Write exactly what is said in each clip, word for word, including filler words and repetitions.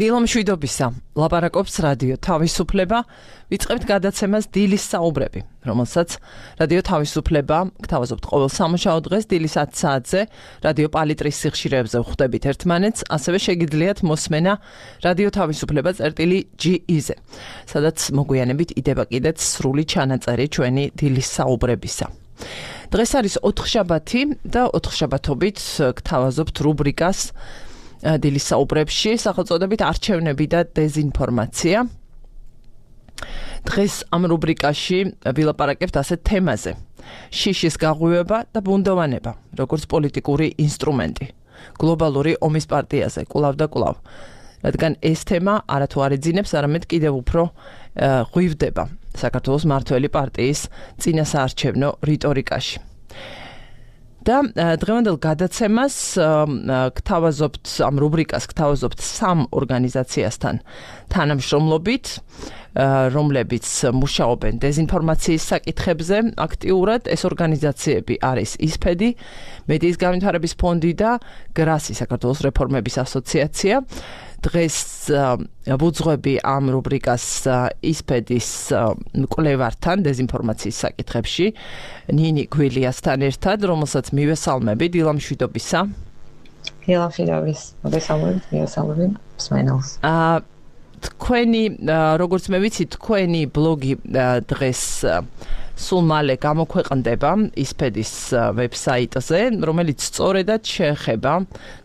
დილო მშვიდობისა, ლაპარაკობს რადიო თავისუფლება, ვიწყებთ გადაცემას დილის საუბრები, რომელსაც რადიო თავისუფლება გთავაზობთ ყოველ სამუშაო დღეს დილის ათი საათზე, რადიო პალიტრის სიხშირეებზე ვხვდებით ერთმანეთს, ასევე შეგიძლიათ მოსმენა რადიო თავისუფლება წერტილი ჯი ი-ზე, სადაც მოგვიანებით იდება კიდეც სრული ჩანაწერი ჩვენი დილის საუბრებისა. დღეს არის ოთხშაბათი და ოთხშაბათობით გთავაზობთ რუბრიკას დილის საუბრებში, სახელწოდებით არჩევნები და დეზინფორმაცია. დღეს ამ რუბრიკაში ვილაპარაკებთ ასეთ თემაზე: შიშის გაღვივება და ბუნდოვანება, როგორც პოლიტიკური ინსტრუმენტი, გლობალური ომის პარტიაზე, კვლავ და კვლავ. რადგან ეს თემა არათუ არ ეძინებს, არამედ კიდევ უფრო ღვივდება საქართველოს მართველი პარტიის წინასაარჩევნო რიტორიკაში. და დღევანდელ გადაცემას გთავაზობთ ამ რუბრიკას გთავაზობთ სამ ორგანიზაციასთან თანამშრომლობით, რომლებიც მუშაობენ დეზინფორმაციის საკითხებზე აქტიურად. ეს ორგანიზაციები არის ისფედი, მედიის განვითარების ფონდი და გრასი, საქართველოს რეფორმების ასოციაცია. დღეს ვუძღვები ამ რუბრიკას ისფედის მკვლევართან დეზინფორმაციის საკითხებში, ნინი გვილიასთან ერთად, რომელსაც მივესალმები. დილო მშვიდობისა. დილო მშვიდობის. მოგესალმებით, მივესალმები მსმენელს. აა თქვენი, როგორც მე ვიცი, თქვენი ბლოგი დღეს სულ მალე გამოქვეყნდება ისფედის ვებსაიტზე, რომელიც სწორედად შეეხება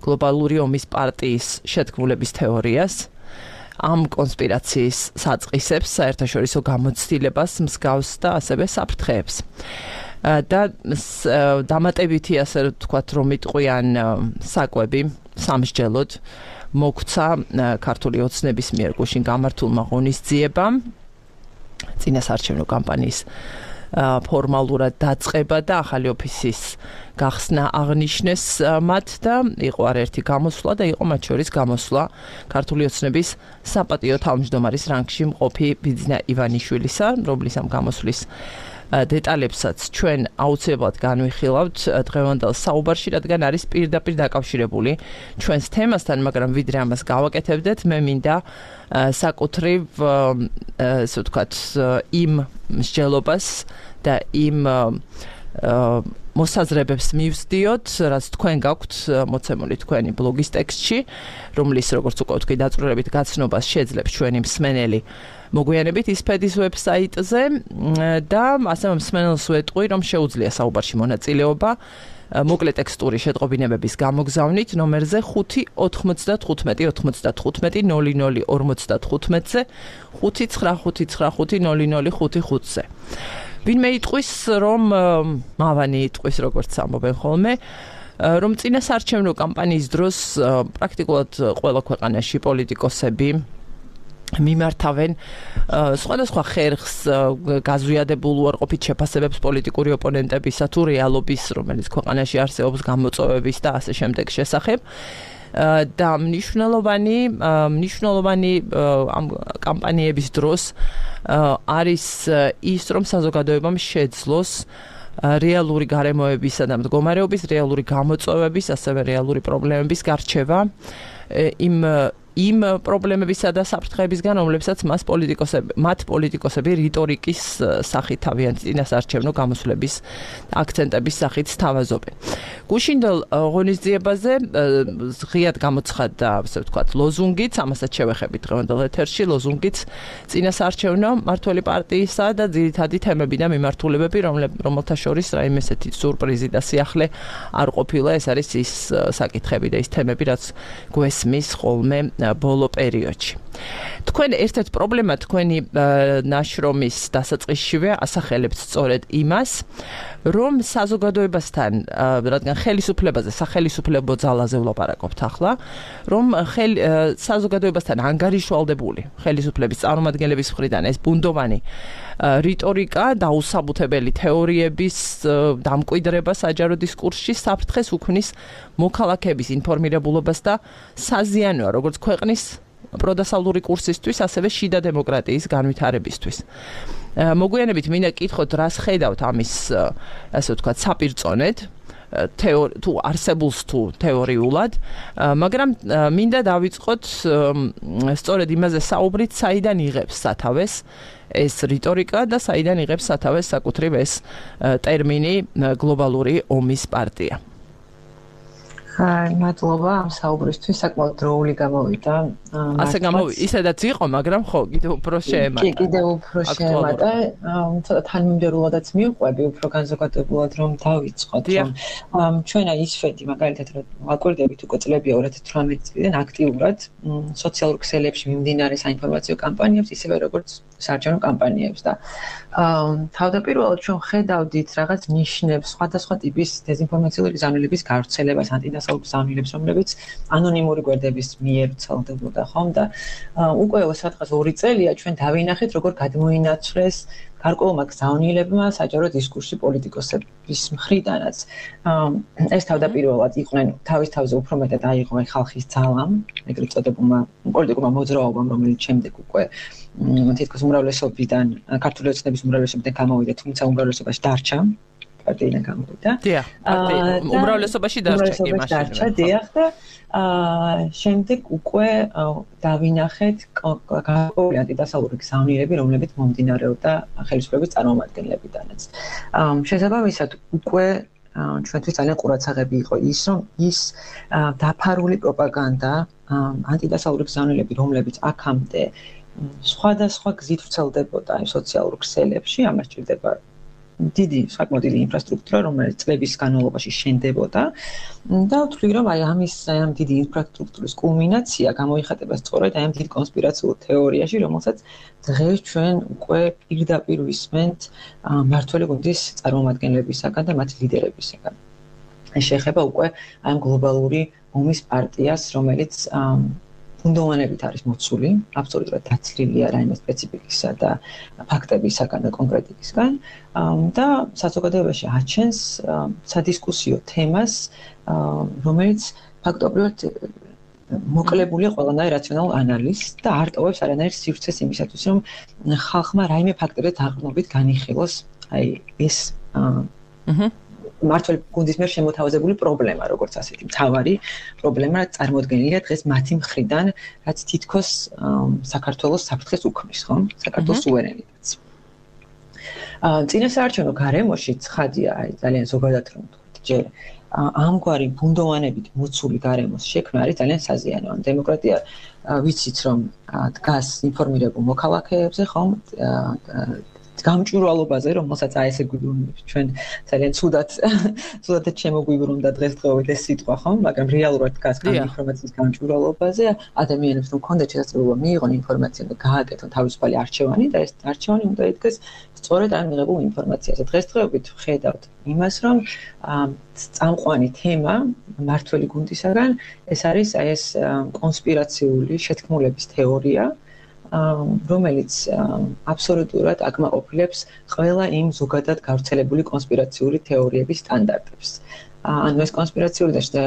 გლობალური ომის პარტიის შეთქმულების თეორიას, ამ კონსპირაციის საწყისებს, საერთაშორისო გამოცდილებას, მსგავს და ასევე საფრთხეებს. და დამატებითი, ასე ვთქვათ, რომ იტყვიან საკვები სამსჯელოდ მოგვცა ქართული ოცნების მიერ გუშინ გამართულმა ღონისძიებამ წინასაარჩევნო კამპანიის ფორმალურად დაწყება და ახალი ოფისის გახსნა აღნიშნეს მათ და იყო არაერთი გამოსვლა და იყო მათ შორის გამოსვლა ქართული ოცნების საპატიო თავმჯდომარის რანგში მყოფი ბიძინა ივანიშვილისა, რომლის ამ გამოსვლის დეტალებსაც ჩვენ აუცილებლად განვიხილავთ დღევანდელ საუბარში, რადგან არის პირდაპირ დაკავშირებული ჩვენს თემასთან, მაგრამ ვიდრე ამას გავაკეთებდეთ, მე მინდა საკუთრივ, ასე ვთქვათ, იმ მსჯელობას და იმ მოსაზრებებს მივსდიოთ, რაც თქვენ გაქვთ მოცემული თქვენი ბლოგის ტექსტში, რომლის, როგორც უკვე ვთქვი, დაწვრილებით გაცნობას შეძლებს ჩვენი მსმენელი მოგვიანებით ისფედის ვებსაიტზე და ასევე მსმენელს ვეტყვი, რომ შეუძლია საუბარში მონაწილეობა მოკლე ტექსტური შეტყობინებების გამოგზავნით ნომერზე ხუთი ოთხმოცდათხუთმეტი ოცდათხუთმეტი ნული ნული ორმოცდათხუთმეტზე ხუთი ცხრა ხუთი ცხრა ხუთი ნული ნული ხუთი ხუთზე. ვინმე იტყვის, რომ მავანი იტყვის, როგორც ამბობენ ხოლმე, რომ წინასაარჩევნო კამპანიის დროს პრაქტიკულად ყველა ქვეყანაში პოლიტიკოსები მიმართავენ სხვადასხვა ხერხს გაზვიადებულ უარყოფით შეფასებებს პოლიტიკური ოპონენტებისა თუ რეალობის, რომელიც ქვეყანაში არსებობს გამოწვევების და ასე შემდეგ შესახებ. და მნიშვნელოვანი მნიშვნელოვანი ამ კამპანიების დროს არის ის, რომ საზოგადოებამ შეძლოს რეალური გარემოებისა და მდგომარეობის, რეალური გამოწვევების, ასევე რეალური პრობლემების გარჩევა იმ იმ პრობლემებისა და საფრთხეებისგან, რომლებსაც მას პოლიტიკოსები, მათ პოლიტიკოსები რიტორიკის სახით თავიანთი წინასაარჩევნო გამოსვლების აქცენტების სახით სთავაზობენ. გუშინდელ ღონისძიებაზე ღიად გამოცხადდა, ასე ვთქვათ, ლოზუნგიც, ამასაც შევეხებით დღევანდელ ეთერში, ლოზუნგიც წინასაარჩევნო მართველი პარტიისა და ძირითადი თემები და მიმართულებები, რომელთა შორის რაიმე ესეთი სურპრიზი და სიახლე არ ყოფილა. ეს არის ის საკითხები და ის თემები, რაც გვესმის ხოლმე ბოლო პერიოდში. თქვენ ერთ-ერთ პრობლემა თქვენი ნაშრომის დასაწყისშივე ასახელებთ სწორედ იმას, რომ საზოგადოებასთან, რადგან ხელისუფლებაზე, სახელისუფლებო ძალაზე ვლაპარაკობთ ახლა, რომ საზოგადოებასთან ანგარიშვალდებული ხელისუფლების წარმომადგენლების მხრიდან ეს ბუნდოვანი რიტორიკა, დაუსაბუთებელი თეორიების დამკვიდრება საჯარო დისკურსში საფრთხეს უქმნის მოქალაქეების ინფორმირებულობას და საზიანოა როგორც ქვეყნის პროდასავლური კურსისთვის, ასევე შიდა დემოკრატიის განვითარებისთვის. მოგვიანებით მინდა კითხოთ, რას ხედავთ ამის, ასე ვთქვათ, საპირწონედ, თუ არსებულს თუ თეორიულად, მაგრამ მინდა დავიწყოთ სწორედ იმაზე საუბრით, საიდან იღებს სათავეს ეს რიტორიკა და საიდან იღებს სათავეს საკუთრივ ეს ტერმინი გლობალური ომის პარტია. მადლობა ამ საუბრისთვის, საკმაოდ დროული გამოვიდა. ასე გამოვიდა, ისედაც იყო, მაგრამ ხო, კიდევ უფრო შეემატა. კი, კიდევ უფრო შეემატა. ცოტა თანმიმდევრულადაც მივყვები, უფრო განზოგადებულად რომ დავიწყოთ. ჩვენ აი ისვედი, მაგალითად, რომ ვაკვირდებით უკვე წლებია ორი ათი თვრამეტი წლიდან აქტიურად სოციალურ ქსელებში მიმდინარე საინფორმაციო კამპანიებს, ისევე როგორც საარჩევნო კამპანიებს და თავდაპირველად ჩვენ ხედავდით რაღაც ნიშნებს, სხვადასხვა ტიპის დეზინფორმაციული გზავნილების გავრცელებას, ანტიდასავლურ გზავნილებს, რომლებიც ანონიმური გვერდების მიერ ვრცელდებოდა, ხომ და უკვე სადღაც ორი წელია ჩვენ დავინახეთ, როგორ გადმოინაცვლეს გარკვეულმა გზავნილებმა საჯარო დისკურსი პოლიტიკოსების მხრიდანაც. ეს თავდაპირველად იყვნენ თავის თავზე უფრო მეტად აიღო ხალხის ძალამ, ეგრეთ წოდებულმა პოლიტიკურმა მოძრაობამ, რომელიც შემდეგ უკვე თითქოს უმრავლესობიდან, ქართული ოცნების უმრავლესობიდან გამოვიდა, თუმცა უმრავლესობაში დარჩა. პარტიიდან გამოვიდა. დიახ, უმრავლესობაში დარჩა კი მაშინ. დარჩა, დიახ და შემდეგ უკვე დავინახეთ გარკვეული ანტიდასავლური გზავნილები, რომლებიც მომდინარეობდა ხელისუფლების წარმომადგენლებიდანაც. შესაბამისად, უკვე ჩვენთვის ძალიან ყურადსაღები იყო ის, რომ ის დაფარული პროპაგანდა, ანტიდასავლური გზავნილები, რომლებიც აქამდე სხვადასხვა გზით ვრცელდებოდა სოციალურ ქსელებში, ამას ჭირდება დიდი, საკმაოდ დიდი ინფრასტრუქტურა, რომელიც წლების განმავლობაში შენდებოდა და ვთვლი, რომ აი ამის ამ დიდი ინფრასტრუქტურის კულმინაცია გამოიხატება სწორედ აი ამ დიდ კონსპირაციულ თეორიაში, რომელსაც დღეს ჩვენ უკვე პირდაპირ ვისმენთ მმართველი გუნდის წარმომადგენლებისაგან და მათ ლიდერებისაგან. ეს შეეხება უკვე აი ამ გლობალური ომის პარტიას, რომელიც ფუნდამენტებით არის მოცული, აბსოლუტურად დაცლილია რაიმე სპეციფიკისა და ფაქტებისაგან და კონკრეტიკისგან და საზოგადოებაში აჩენს სადისკუსიო თემას, რომელიც ფაქტობრივად მოკლებულია ყველანაირ რაციონალურ ანალიზს და არ ტოვებს არანაირ სივრცეს იმისათვის, რომ ხალხმა რაიმე ფაქტებზე დაყრდნობით განიხილოს აი ეს მმართველი გუნდის მიერ შემოთავაზებული პრობლემა, როგორც ასეთი მთავარი პრობლემა წარმოდგენილია დღეს მათი მხრიდან, რაც თითქოს საქართველოს საფრთხეს უქმნის, ხო? საქართველოს სუვერენიტეტს. წინასაარჩევნო გარემოში ცხადია, აი ძალიან ზოგადად რომ ვთქვით, ჯერ ამგვარი ბუნდოვანებით მოცული გარემოს შექმნა არის ძალიან საზიანო. დემოკრატია ვიცით რომ დგას ინფორმირებულ მოქალაქეებზე, ხო? გამჭვირვალობაზე, რომელსაც აი ესე გვიბრუნებს ჩვენ ძალიან ცუდად ცუდად შემოგვიბრუნდა დღესდღეობით ეს სიტყვა, ხო? მაგრამ რეალურად დგას ინფორმაციის გამჭვირვალობაზე, ადამიანებს რომ ქონდეთ შესაძლებლობა მიიღონ ინფორმაცია და გააკეთონ თავისუფალი არჩევანი და ეს არჩევანი უნდა იდგეს სწორედ ამ მიღებულ ინფორმაციაზე. დღესდღეობით ვხედავთ იმას, რომ წამყვანი თემა მმართველი გუნდისაგან ეს არის აი ეს კონსპირაციული შეთქმულების თეორია, რომელიც აბსოლუტურად აკმაყოფილებს ყველა იმ ზოგადად გავრცელებული კონსპირაციული თეორიების სტანდარტებს. ანუ ეს კონსპირაციული და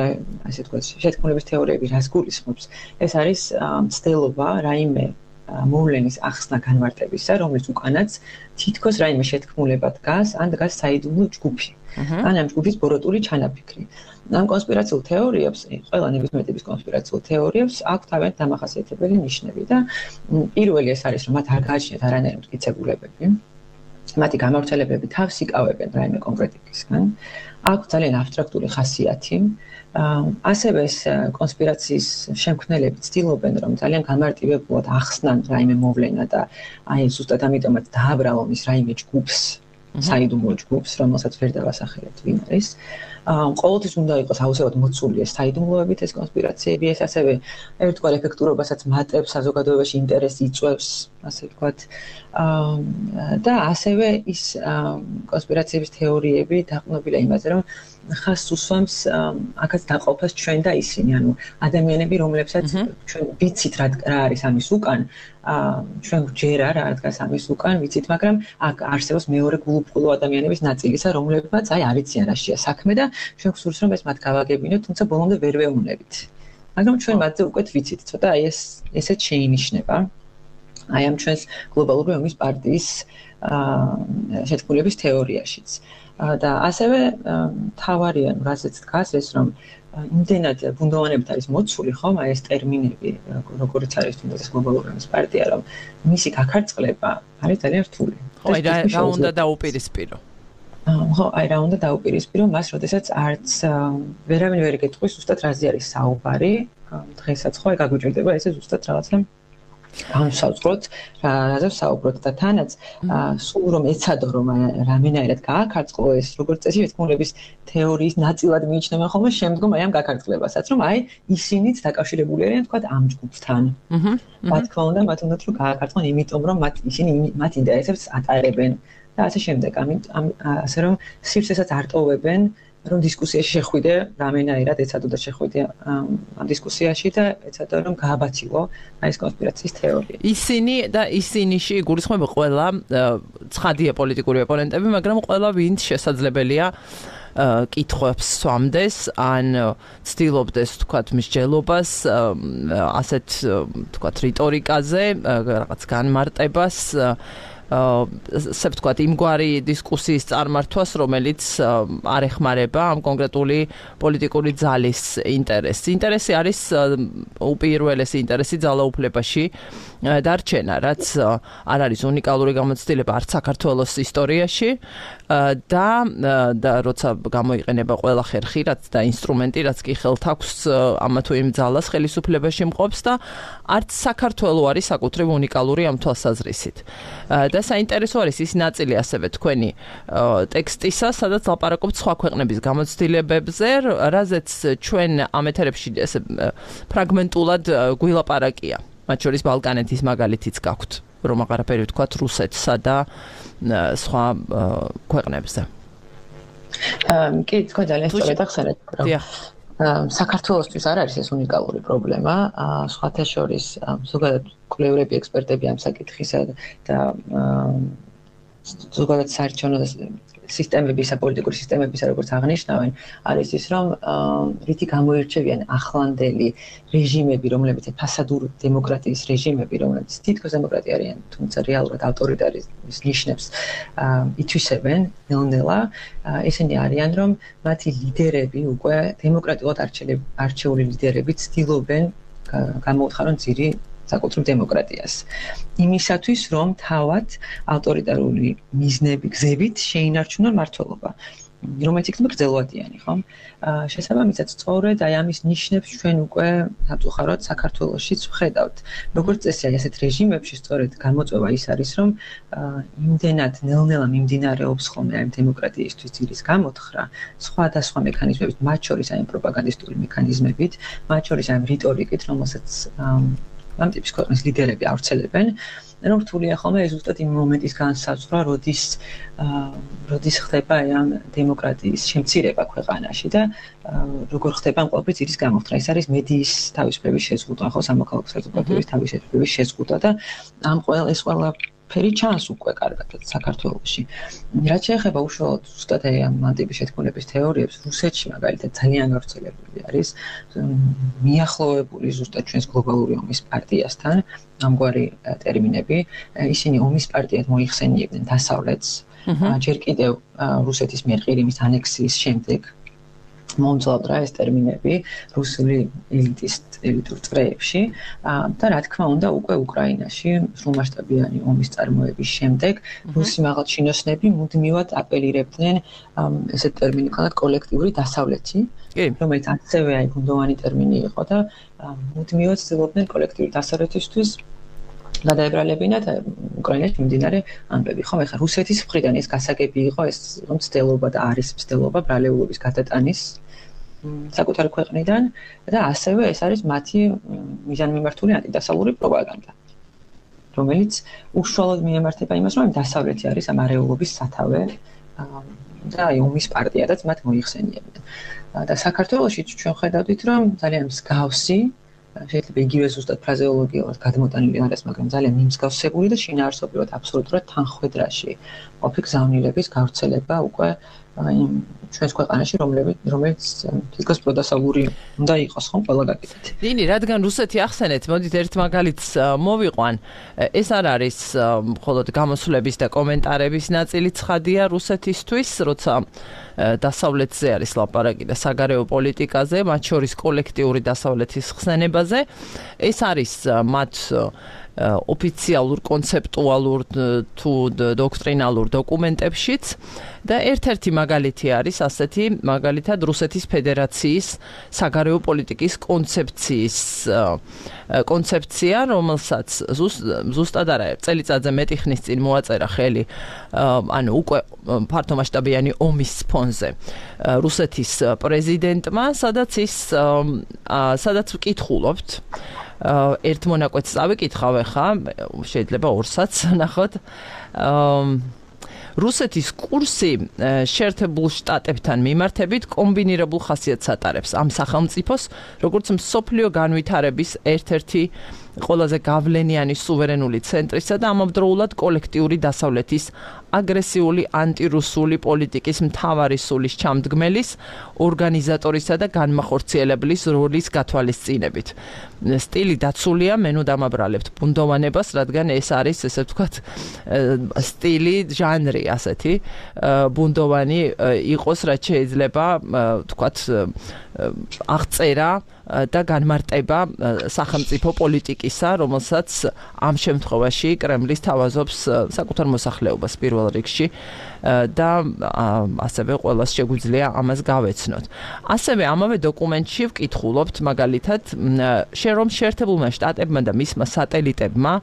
ასე ვთქვათ, შეთქმულების თეორიები რას გულისხმობს? ეს არის მცდელობა რაიმე მოვლენის ახსნა განმარტებისა, რომლის უკანაც თითქოს რაიმე შეთქმულება დგას, ან დგას საიდუმლო ჯგუფი. ან ამ ჯგუფის ბოროტული ჩანაფიქრი. ამ კონსპირაციულ თეორიებს, ყველა ნებისმიერ ტიპის კონსპირაციულ თეორიებს აქვს თავიანთი დამახასიათებელი ნიშნები და პირველი ეს არის, რომ მათ არ გააჩნიათ არანაირი მტკიცებულებები. მათი გამავრცელებები თავს იკავებენ რაიმე კონკრეტიკისგან. აქვს ძალიან აბსტრაქტული ხასიათი. ასევე ეს კონსპირაციის შემქმნელები ცდილობენ, რომ ძალიან გამარტივებულად ახსნან რაიმე მოვლენა და აი ზუსტად ამიტომაც დააბრალონ ის რაიმე ჯგუფს, საიდუმლო ჯგუფს, რომელსაც ვერ დავასახელეთ ვინ არის. ყოველთვის უნდა იყოს აუცილებლად მოცული ეს საიდუმლოებით ეს კონსპირაციები, ეს ასევე ერთგვარ ეფექტურობასაც მატებს, საზოგადოებაში ინტერესს იწვევს, ასე ვთქვათ. და ასევე ის კონსპირაციების თეორიები დაყრდნობილია იმაზე, რომ ხაზს უსვამს აქაც დაყოფას ჩვენ და ისინი, ანუ ადამიანები, რომლებსაც ჩვენ ვიცით რა არის ამის უკან, ჩვენ ვჯერა რა დგას ამის უკან, ვიცით, მაგრამ აქ არსებობს მეორე გულუბრყვილო ადამიანების ნაწილისა, რომლებმაც აი არიციან რაშია საქმე და ჩვენ გვსურს რომ ეს მათ გავაგებინოთ, თუმცა ბოლომდე ვერ ვეუბნებით. მაგრამ ჩვენ მათზე უკვე ვიცით, ცოტა აი ეს ესეც შეინიშნება. აი ამ ჩვენს გლობალური ომის პარტიის შეთქმულების თეორიაშიც. და ასევე თავარია, რასაც დგას ეს, რომ იმდენად ბუნდოვანებით არის მოცული, ხომ, აი ეს ტერმინები, როგორც არის თუნდაც გლობალური ომის პარტია, რომ მისი გაქარწყლება არის ძალიან რთული. ხო, აი რა უნდა დაუპირისპირო? ხო, აი რა უნდა დაუპირისპირო მას, როდესაც არც ვერავინ ვერ ეკითხვის ზუსტად რაზე არის საუბარი, დღესაც ხო, აი გაგვიჭირდება ესე ზუსტად რაღაცა განსაზღვროთ, რაზე საუბრობთ და თანაც სულ რომ ეცადო რომ რამენაირად გააქარწყლო ეს როგორც წესი შეთქმულების თეორიის ნაწილად მიიჩნევა ხოლმე შემდგომ აი ამ გაქარწყლებასაც, რომ აი ისინიც დაკავშირებული არიან თქვა ამ ჯგუფთან. რა თქმა უნდა, მათ უნდათ რომ გააქარწყლონ, იმიტომ რომ მათ ისინი მათ ინტერესებს ატარებენ და ასე შემდეგ. ამ ასე რომ სივრცესაც არტოვებენ, რომ დისკუსიაში შეხვიდე, რამენაირად ეცადო და შეხვიდე ამ დისკუსიაში და ეცადო რომ გააბაცილო აი ეს კონსპირაციის თეორია. ისინი და ისინიში იგულისხმება ყველა ცხადია პოლიტიკური ოპონენტები, მაგრამ ყველა ვინც შესაძლებელია კითხვებს სვამდეს, ან ცდილობდეს თქვათ მსჯელობას ასეთ თქვათ რიტორიკაზე, რაღაც განმარტებას ასე ვთქვათ, იმგვარი დისკუსიის წარმართვას, რომელიც არ ეხმარება ამ კონკრეტული პოლიტიკური ძალის ინტერესს. ინტერესი არის უპირველესი ინტერესი ძალაუფლებაში დარჩენა, რაც არ არის უნიკალური გამოცდილება არც საქართველოს ისტორიაში და და როცა გამოიყენება ყველა ხერხი, რაც და ინსტრუმენტი, რაც კი ხელთ აქვს ამა თუ იმ ძალას ხელისუფლებაში მყოფს და არც საქართველოს არის საკუთრივ უნიკალური ამ თვალსაზრისით. და საინტერესო არის ის ნაწილი ასევე თქვენი ტექსტისა, სადაც ლაპარაკობთ სხვა ქვეყნების გამოცდილებებზე, რაზეც ჩვენ ამ ეთერებში ესე ფრაგმენტულად გვილაპარაკია. მათ შორის ბალკანეთის მაგალითიც გაქვთ, რომ აღარაფერი ვთქვათ რუსეთსა და სხვა ქვეყნებზე. კი, თქვენ ძალიან სწორად ახსენეთ, რომ საქართველოსთვის არ არის ეს უნიკალური პრობლემა, სხვათა შორის ზოგადად კვლევრები, ექსპერტები ამ საკითხისა და ზოგადად საარჩევნო სისტემებისა, პოლიტიკური სისტემებისა, როგორც აღნიშნავენ, არის ის, რომ რითი გამოირჩევიან ახლანდელი რეჟიმები, რომლებიც ფასადურ დემოკრატიის რეჟიმები, რომლებიც თითქოს დემოკრატია არიან, თუმცა რეალურად ავტორიტარიზმის ნიშნებს ითვისებენ ნელ-ნელა, ესენი არიან, რომ მათი ლიდერები უკვე დემოკრატიულად არჩეული ლიდერები ცდილობენ გამოუთხარონ ძირი საკუთრივ დემოკრატიას. იმისათვის, რომ თავად ავტორიტარული მიზნები გზებით შეინარჩუნონ მმართველობა, რომელიც იქნება გრძელვადიანი, ხო? შესაბამისად, სწორედ აი ამის ნიშნებს ჩვენ უკვე სამწუხაროდ საქართველოშიც ვხედავთ. როგორც წესი, აი ასეთ რეჟიმებში სწორედ გამოწვევა ის არის, რომ იმდენად ნელ-ნელა მიმდინარეობს ხოლმე აი დემოკრატიისთვის ძირის გამოთხრა, სხვადასხვა მექანიზმებით, მათ შორის აი პროპაგანდისტული მექანიზმებით, მათ შორის აი რიტორიკით, რომელსაც ამ ტიპის ქვეყნის ლიდერები ავრცელებენ, რომ რთულია ხოლმე ეს ზუსტად იმ მომენტის განსაზღვრა, როდის როდის ხდება ამ დემოკრატიის შემცირება ქვეყანაში და როგორ ხდება ამ ყველაფრის ძირის გამოთხრა. ეს არის მედიის თავისუფლების შეზღუდვა, ხო, სამოქალაქო საზოგადოების თავისუფლების შეზღუდვა და ამ ყველა ეს ყველა ფერი ჩანს უკვე კარგად საქართველოში. რაც შეეხება უშუალოდ ზუსტად ამ ტიპის შეთქმულების თეორიებს, რუსეთში მაგალითად ძალიან გავრცელებული არის მიახლოვებული ზუსტად ჩვენს გლობალური ომის პარტიასთან ამგვარი ტერმინები. ისინი ომის პარტიად მოიხსენიებდნენ დასავლეთს, ჯერ კიდევ რუსეთის მიერ ყირიმის ანექსიის შემდეგ მომძლავრდა ეს ტერმინები რუსული ელიტის ელიტურ წრეებში და რა თქმა უნდა უკვე უკრაინაში სრულმასშტაბიანი ომის წარმოების შემდეგ რუსი მაღალჩინოსნები მუდმივად აპელირებდნენ ესეთ ტერმინი ქონათ კოლექტიური დასავლეთი, რომელიც ასევე აი გუნდოვანი ტერმინი იყო და მუდმივად ცდილობდნენ კოლექტიური დასავლეთისთვის გადაებრალებინათ უკრაინაში მიმდინარე ამბები. ხომ ეხლა რუსეთის მხრიდან ეს გასაგები იყო, ეს რომ ცდილობა და არის ცდილობა ბრალეულობის გადატანის საკუთარი ქვეყნიდან და ასევე ეს არის მათი მიზანმიმართული ანტიდასავლური პროპაგანდა, რომელიც უშუალოდ მიემართება იმას, რომ დასავლეთი არის ამ არეულობის სათავე და აი ომის პარტიადაც მათ მოიხსენიებდნენ. და საქართველოში ჩვენ ხედავთ, რომ ძალიან მსგავსი შეიძლება იგივე ზუსტად ფრაზეოლოგიურად გადმოტანილი არის, მაგრამ ძალიან მიმსგავსებული და შინაარსობრივად აბსოლუტურად თანხვედრაში ყოფი გზავნილების გავრცელება უკვე იმ ჩვენს ქვეყანაში, რომლებიც რომელიც თითქოს პროდასავლური უნდა იყოს, ხომ, ყველა გაკეთეთ. ნინი, რადგან რუსეთი ახსენეთ, მოდით ერთ მაგალითს მოვიყვან. ეს არ არის მხოლოდ გამოსვლების და კომენტარების ნაწილი ცხადია რუსეთისთვის, როცა დასავლეთზე არის ლაპარაკი და საგარეო პოლიტიკაზე, მათ შორის კოლექტიური დასავლეთის ხსენებაზე. ეს არის მათ ოფიციალურ, კონცეპტუალურ თუ დოქტრინალურ დოკუმენტებშიც და ერთ-ერთი მაგალითი არის ასეთი, მაგალითად რუსეთის ფედერაციის საგარეო პოლიტიკის კონცეფციის კონცეფცია, რომელსაც ზუსტად არა წელიწადზე მეტი ხნის წინ მოაწერა ხელი, ანუ უკვე ფართომასშტაბიანი ომის ფონზე რუსეთის პრეზიდენტმა, სადაც ის სადაც ვკითხულობთ ერთ მონაკვეთს წავიკითხავ ხა, შეიძლება ორსაც ნახოთ. რუსეთის კურსი შეერთებულ შტატებთან მიმართებით კომბინირებულ ხასიათს ატარებს ამ სახელმწიფოს, როგორც მსოფლიო განვითარების ერთ-ერთი ყველაზე გავლენიანი სუვერენული ცენტრისა და ამავდროულად კოლექტიური დასავლეთის აგრესიული ანტირუსული პოლიტიკის მთავარი სულის ჩამდგმელის, ორგანიზატორისა და განმახორციელებლის როლის გათვალისწინებით. სტილი დაცულია, მე ნუ დამაბრალებთ ბუნდოვანებას, რადგან ეს არის, ესე ვთქვათ, სტილი, ჟანრი ასეთი, ბუნდოვანი იყოს, რაც შეიძლება, ვთქვათ, აღწერა და განმარტება სახელმწიფო პოლიტიკისა, რომელსაც ამ შემთხვევაში კრემლის თავაზობს საკუთარ მოსახლეობას პირველ რიგში და ასევე ყველას შეგვიძლია ამას გავეცნოთ. ასევე ამავე დოკუმენტში ვკითხულობთ მაგალითად, რომ შეერთებულმა შტატებმა და მისმა სატელიტებმა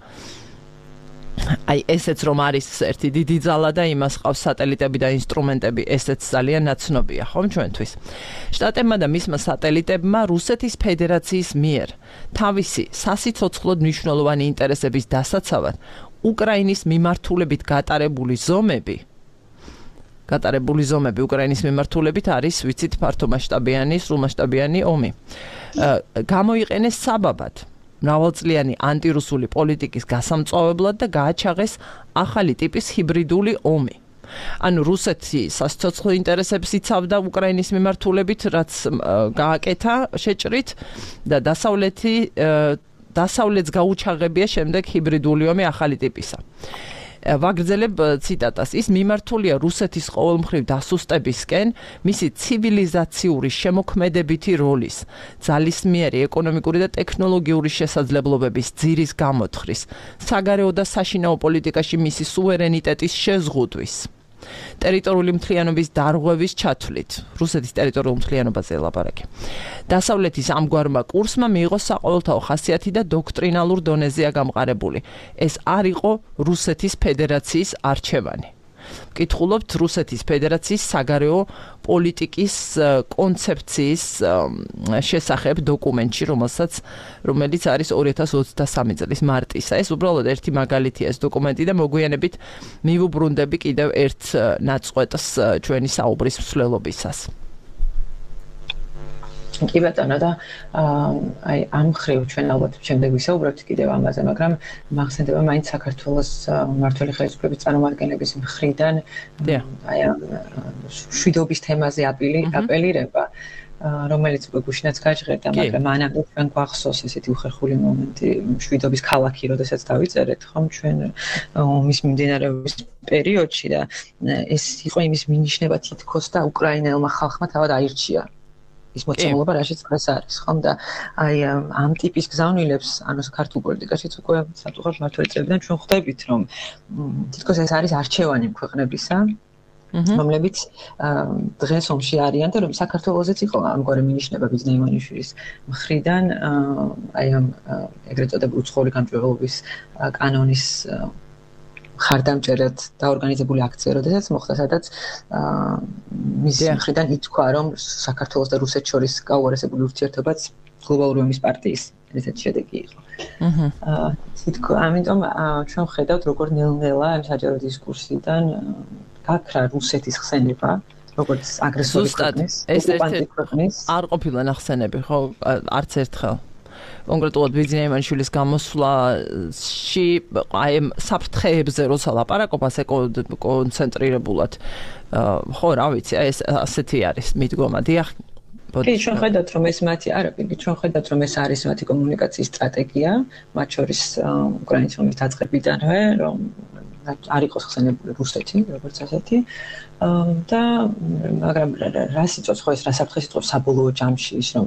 აი ესეც რომ არის ერთი დიდი ძალა და იმას ყავს სატელიტები და ინსტრუმენტები, ესეც ძალიან ნაცნობია, ხომ ჩვენთვის. შტატებმა და მისმა სატელიტებმა რუსეთის ფედერაციის მიერ თავისი სასიცოცხლოდ მნიშვნელოვანი ინტერესების დასაცავად უკრაინის მიმართულებით გატარებული ზომები გატარებული ზომები უკრაინის მიმართულებით არის, ვიცით, ფართომასშტაბიანი, სრულმასშტაბიანი ომი. გამოიყენეს საბაბად მრავალწლიანი ანტირუსული პოლიტიკის გასამწვავებლად და გააჩაღეს ახალი ტიპის ჰიბრიდული ომი. ანუ რუსეთი სასიცოცხლო ინტერესებს იცავდა უკრაინის მიმართულებით, რაც გააკეთა შეჭრით და დასავლეთი დასავლეთს გაუჩაღებია შემდეგ ჰიბრიდული ომი ახალი ტიპისა. ვაგრძელებ ციტატას. ის მიმართულია რუსეთის ყოველმხრივ დასუსტებისკენ, მისი ცივილიზაციური შემოქმედებითი როლის, ძალისმიერი ეკონომიკური და ტექნოლოგიური შესაძლებლობების ძირის გამოთხრის, საგარეო და საშინაო პოლიტიკაში მისი სუვერენიტეტის შეზღუდვის, ტერიტორიული მთლიანობის დარღვევის ჩათვლით, რუსეთის ტერიტორიულ მთლიანობაზე ლაპარაკი. დასავლეთის ამგვარმა კურსმა მიიღო საყოველთაო ხასიათი და დოქტრინალურ დონეზეა გამყარებული. ეს არ იყო რუსეთის ფედერაციის არჩევანი. ვკითხულობთ რუსეთის ფედერაციის საგარეო პოლიტიკის კონცეფციის შესახებ დოკუმენტში, რომელსაც რომელიც არის ორი ათას ოცდასამი წლის მარტისა. ეს უბრალოდ ერთი მაგალითია ეს დოკუმენტი და მოგვიანებით მივუბრუნდები კიდევ ერთ ნაწყვეტს ჩვენი საუბრის მსვლელობისას. კი ბატონო და აი ამ ხრივ ჩვენ ალბათ შემდეგ ვისაუბრებთ კიდევ ამაზე, მაგრამ მახსენდება მაინც საქართველოს მმართველი ხელისუფლების წარმომადგენლების მხრიდან აი შვიდობის თემაზე აპელირება, რომელიც გუშინაც გაჟღერდა, მაგრამ მანამდე ჩვენ გვახსოვს ესეთი უხერხული მომენტი, შვიდობის ქალაქი, როდესაც დავიწერეთ, ხომ, ჩვენ ომის მიმდინარეობის პერიოდში და ეს იყო იმის მინიშნება თითქოს და უკრაინელმა ხალხმა თავად აირჩია ის მოცემულობა, რაშიც დღეს არის, ხომ და აი ამ ტიპის გზავნილებს, ანუ საქართველოს პოლიტიკაშიც უკვე სატუღარ მმართველი წლებიდან ჩვენ ხვდებით, რომ თითქოს ეს არის არჩევანი ქვეყნებისა, რომლებიც დღეს ომში არიან და რომ საქართველოსაც იყო ამგვარი მინიშნება ბიზნეს ივანიშვილის მხრიდან, აი ამ ეგრეთ წოდებული უცხოური გამჭვირვალობის კანონის ხარდამჭერად დაორგანიზებული აქცია, როდესაც მოხდა, სადაც მის მხრიდან ითქვა, რომ საქართველოს და რუსეთს შორის გაუარესებული ურთიერთობაც გლობალური ომის პარტიის ერთ-ერთი შედეგი იყო. თითქოს ამიტომ ჩვენ ვხედავთ, როგორ ნელ-ნელა ამ საჯარო დისკურსიდან გაქრა რუსეთის ხსენება, როგორც აგრესორი ქვეყნის, ოკუპანტი ქვეყნის. არ ყოფილა ნახსენები, ხო, არც ერთხელ. კონკრეტულად ბიძინა იმანიშვილის გამოსვლაში აი საფრთხეებზე როცა ლაპარაკობს კონცენტრირებულად ხო რა ვიცი ეს ასეთი არის მიდგომა დიახ კი ჩვენ ხედავთ რომ ეს მათი არა კი ჩვენ ხედავთ რომ ეს არის მათი კომუნიკაციის სტრატეგია მათ შორის უკრაინის ომის დაწყებიდანვე რომ არ იყოს ხსენებული რუსეთი როგორც ასეთი და მაგრამ რას იწვევს ხო ეს რა საფრთხეს იწვევს საბოლოო ჯამში ის რომ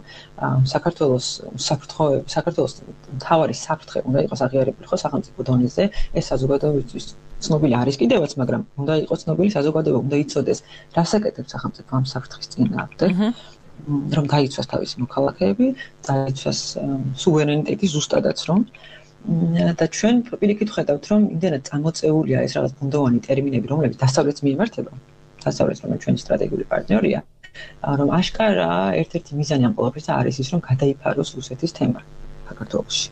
საქართველოს საფრთხე საქართველოს მთავარი საფრთხე უნდა იყოს აღიარებული ხო სახელმწიფო დონეზე ეს საზოგადოებისთვის ცნობილი არის კიდევაც მაგრამ უნდა იყოს ცნობილი საზოგადოება უნდა იცოდეს რას აკეთებს სახელმწიფო ამ საფრთხის წინააღმდეგ რომ გაიცვას თავისი მოქალაქეები დაიცვას სუვერენიტეტი ზუსტადაც რომ და ჩვენ პირიქით ხედავთ რომ იმდენად წამოწეულია ეს რაღაც ბუნდოვანი ტერმინები რომლებიც დასავლეთს მიემართება დასავლეთს რომელიც ჩვენი სტრატეგიული პარტნიორია რომ აშკარა ერთ-ერთი მიზანი ამ ყველაფერისა არის ის რომ გადაიფაროს რუსეთის თემა საქართველოში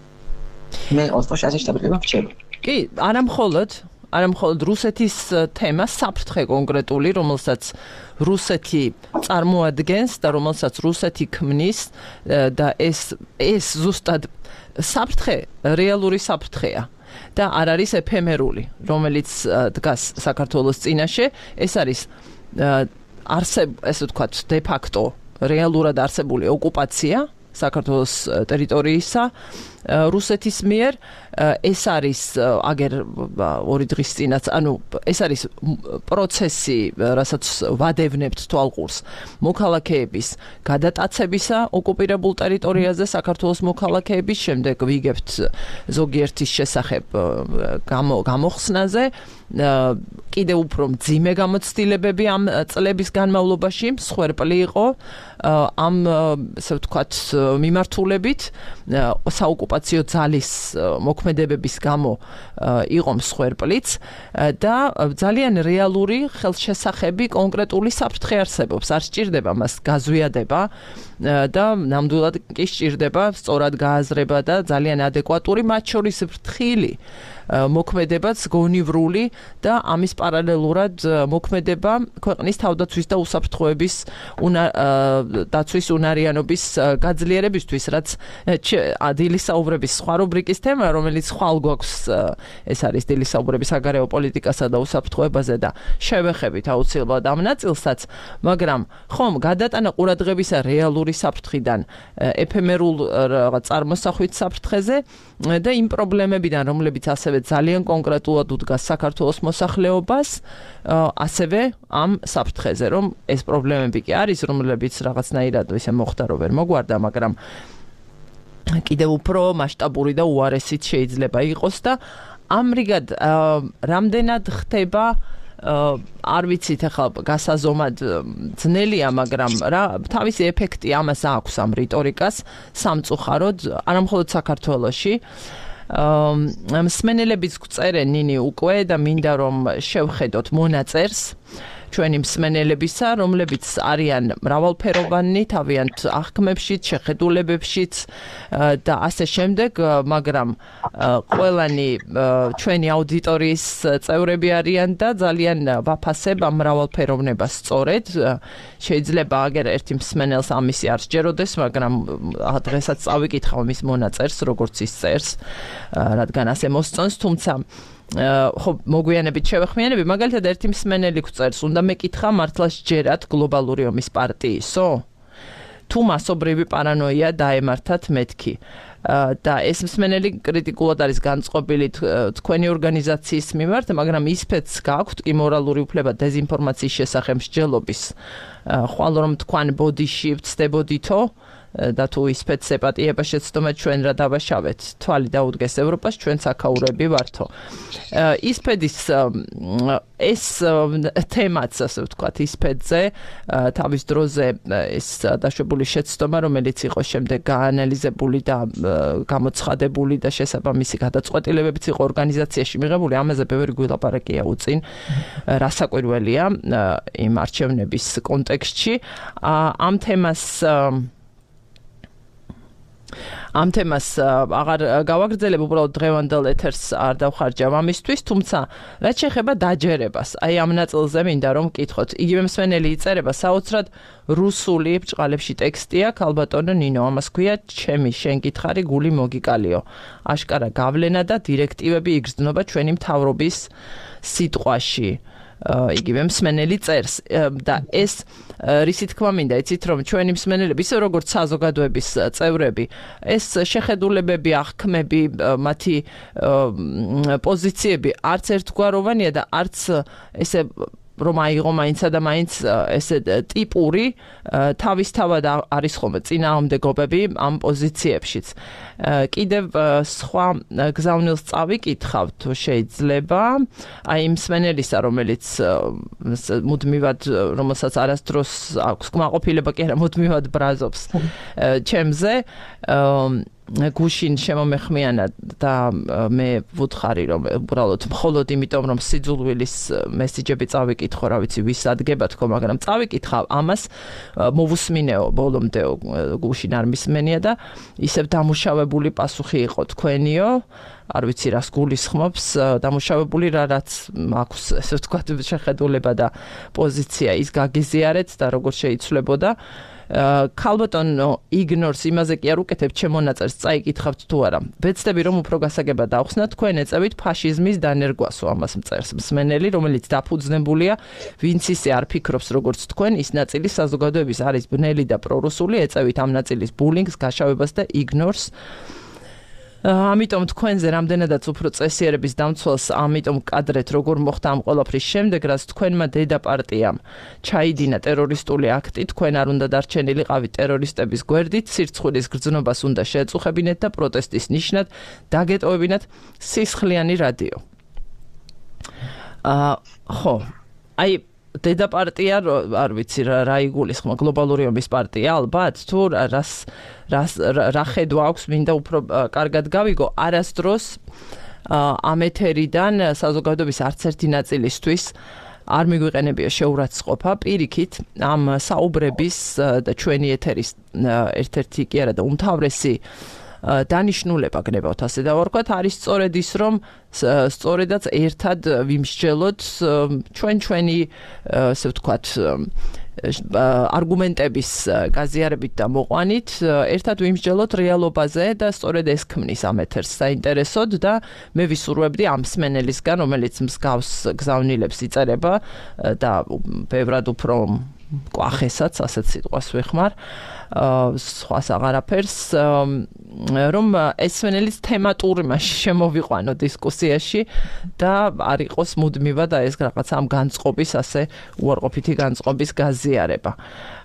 მე ოთხ ასეთი შეტაბილება ვჭერბ კი არა მხოლოდ არა მხოლოდ რუსეთის თემა საფრთხე კონკრეტული რომელსაც რუსეთი წარმოადგენს და რომელსაც რუსეთი ქმნის და ეს ეს ზუსტად საფრთხე რეალური საფრთხეა და არ არის ეფემერული რომელიც დგას საქართველოს წინაშე ეს არის არსებ ესე ვთქვათ დე ფაქტო რეალურად არსებული ოკუპაცია საქართველოს ტერიტორიისა რუსეთის მიერ ეს არის აგერ ორი დღის წინაც ანუ ეს არის პროცესი რასაც ვადევნებთ თვალყურს მოქალაქეების გადატაცებისა ოკუპირებულ ტერიტორიაზე საქართველოს მოქალაქეების შემდეგ ვიგებთ ზოგიერთის შესახებ გამოხსნაზე კიდევ უფრო მძიმე გამოცდილებები ამ წლების განმავლობაში მსხვერპლი იყო ამ ასე ვთქვათ მიმართულებით საოკუპაციო ძალის მოქმედებების გამო იყო მსხვერპლიც და ძალიან რეალური ხელშესახები კონკრეტული საფრთხე არსებობს არ სჭირდება მას გაზვიადება და ნამდვილად კი სჭირდება სწორად გააზრება და ძალიან ადეკვატური მათ შორის ფრთხილი მოქმედებაც გონივრული და ამის პარალელურად მოქმედება ქვეყნის თავდაცვის და უსაფრთხოების დაცვის უნარიანობის გაძლიერებისთვის რაც დილის საუბრების სხვა რუბრიკის თემა რომელიც ხვალ გვაქვს ეს არის დილის საუბრების საგარეო პოლიტიკასა და უსაფრთხოებაზე და შევეხებით აუცილებლად ამ ნაწილსაც მაგრამ ხომ გადატანა ყურადღებისა რეალური საფრთხიდან ეფემერულ რაღაც წარმოსახვით საფრთხეზე და იმ პრობლემებიდან რომლებიც ასევე ძალიან კონკრეტულად უდგას საქართველოს მოსახლეობას ასევე ამ საფრთხეზე რომ ეს პრობლემები კი არის რომლებიც რაღაცნაირად ისე მოხდა რომ ვერ მოგვარდა მაგრამ კიდევ უფრო მასშტაბური და უარესიც შეიძლება იყოს და ამრიგად რამდენად ხდება არ ვიცით ახლა გასაზომად ძნელია მაგრამ რა თავისი ეფექტი ამას აქვს ამ რიტორიკას სამწუხაროდ არა მხოლოდ საქართველოში მსმენელებიც გვწერენ ნინი უკვე და მინდა რომ შევხედოთ მონაწერს ჩვენი მსმენელებისა რომლებიც არიან მრავალფეროვანი თავიანთ აღქმებშიც შეხედულებებშიც და ასე შემდეგ მაგრამ ყველანი ჩვენი აუდიტორიის წევრები არიან და ძალიან ვაფასებ ამ მრავალფეროვნებას სწორედ შეიძლება აგერ ერთი მსმენელს ამისი არ სჯეროდეს მაგრამ დღესაც წავიკითხავ მის მონაწერს როგორც ის წერს რადგან ასე მოსწონს თუმცა ხო მოგვიანებით შევეხმიანები მაგალითად ერთი მსმენელი გვწერს უნდა მეკითხა მართლა სჯერათ გლობალური ომის პარტიისო თუ მასობრივი პარანოია დაემართათ მეთქი და ეს მსმენელი კრიტიკულად არის განწყობილი თქვენი ორგანიზაციის მიმართ მაგრამ ისფეთს გაქვთ კი მორალური უფლება დეზინფორმაციის შესახებ მსჯელობის ხვალ რომ თქვენ ბოდიში ვწდებოდითო და თუ ისფეთს ეპატიება შეცდომა ჩვენ რა დავაშავეთ თვალი დაუდგეს ევროპას ჩვენ საქაურები ვართო ისფედის ეს თემაც ასე ვთქვათ ისფედზე თავის დროზე ეს დაშვებული შეცდომა რომელიც იყო შემდეგ გაანალიზებული და გამოცხადებული და შესაბამისი გადაწყვეტილებებიც იყო ორგანიზაციაში მიღებული ამაზე ბევრი გვილაპარაკია უწინ რასაკვირველია იმ არჩევნების კონტექსტში ამ თემას ამ თემას აღარ გავაგრძელებ, უბრალოდ დღევანდელ ეთერს არ დავხარჯავ ამისთვის, თუმცა რაც შეეხება დაჯერებას, აი ამ ნაწილზე მინდა რომ ვკითხოთ. იგივე მსმენელი იწერება საოცრად რუსული ბრჭყალებში ტექსტი აქვს, ალბატონო ნინო, ამას ქვია ჩემი შენ გითხარი გული მოგიკალიო. აშკარა გავლენა და დირექტივები იგრძნობა ჩვენი მთავრობის სიტყვაში. იგივე მსმენელი წერს და ეს რისი თქმა მინდა, იცით რომ ჩვენი მსმენელები ისე როგორც საზოგადოების წევრები, ეს შეხედულებები, აღქმები, მათი პოზიციები არც ერთგვაროვანია და არც ესე რომ აიღო მაინცა და მაინც ესე ტიპური თავისთავად არის ხოლმე წინააღმდეგობები ამ პოზიციებშიც. კიდევ სხვა გზავნილს წავიკითხავ თუ შეიძლება, აი იმ მსმენელისა, რომელიც მუდმივად, რომელსაც არასდროს აქვს კმაყოფილება კი არა, მუდმივად ბრაზობს ჩემზე, გუშინ შემომეხმიანა და მე ვუთხარი რომ უბრალოდ მხოლოდ იმიტომ რომ სიძულვილის მესიჯები წავიკითხო, რა ვიცი, ვის ადგება თქო, მაგრამ წავიკითხავ ამას, მოვუსმინეო ბოლომდეო, გუშინ არ მისმენია და ისევ დამუშავებული პასუხი იყო თქვენიო, არ ვიცი რას გულისხმობს, დამუშავებული რა რაც აქვს, ესე ვთქვათ, შეხედულება და პოზიცია, ის გაგიზიარეთ და როგორ შეიცვლებოდა. ქალბატონო იგნორს იმაზე კი არ უკეთებ ჩემ მონაწერს წაიკითხავთ თუ არა. ვეცდები რომ უფრო გასაგება დავხსნათ, თქვენ ეწევით ფაშიზმის დანერგვასო, ამას მწერს მსმენელი, რომელიც დაფუძნებულია, ვინც ისე არ ფიქრობს როგორც თქვენ, ის ნაწილი საზოგადოების არის ბნელი და პრორუსული, ეწევით ამ ნაწილის ბულინგს, გაშავებას და იგნორს. ამიტომ თქვენზე რამდენადაც უფრო წესიერების დამცველს, ამიტომ კადრეთ როგორ მოხდა ამ ყველაფრის შემდეგ, რაც თქვენმა დედა პარტიამ ჩაიდინა ტერორისტული აქტი, თქვენ არ უნდა დარჩენილიყავით ტერორისტების გვერდით, სირცხვილის გრძნობას უნდა შეეწუხებინეთ და პროტესტის ნიშნად დაგეტოვებინათ სისხლიანი რადიო. აა ხო, აი დედა პარტია, არ ვიცი რა იგულისხმება, გლობალური ომის პარტია, ალბათ, თუ რას რას რა ხედვა აქვს, მინდა უფრო კარგად გავიგო, არასდროს ამ ეთერიდან საზოგადოების არც ერთი ნაწილისთვის არ მიგვიყენებია შეურაცხყოფა, პირიქით ამ საუბრების და ჩვენი ეთერის ერთ-ერთი კი არა და უმთავრესი დანიშნულება გნებავთ ასე დავარქვათ, არის სწორედ ის, რომ სწორედაც ერთად ვიმსჯელოთ ჩვენ ჩვენი ასე ვთქვათ არგუმენტების გაზიარებით და მოყვანით, ერთად ვიმსჯელოთ რეალობაზე და სწორედ ეს ქმნის ამ ეთერს საინტერესოდ და მე ვისურვებდი ამ მსმენელისგან, რომელიც მსგავს გზავნილებს იწერება და ბევრად უფრო კვახესაც, ასეთ სიტყვას ვეხმარ, სხვას აღარაფერს, რომ ეს მსმენელის თემატური მასში შემოვიყვანო დისკუსიაში და არ იყოს მუდმივად ეს რაღაცა ამ განწყობის, ასე უარყოფითი განწყობის გაზიარება.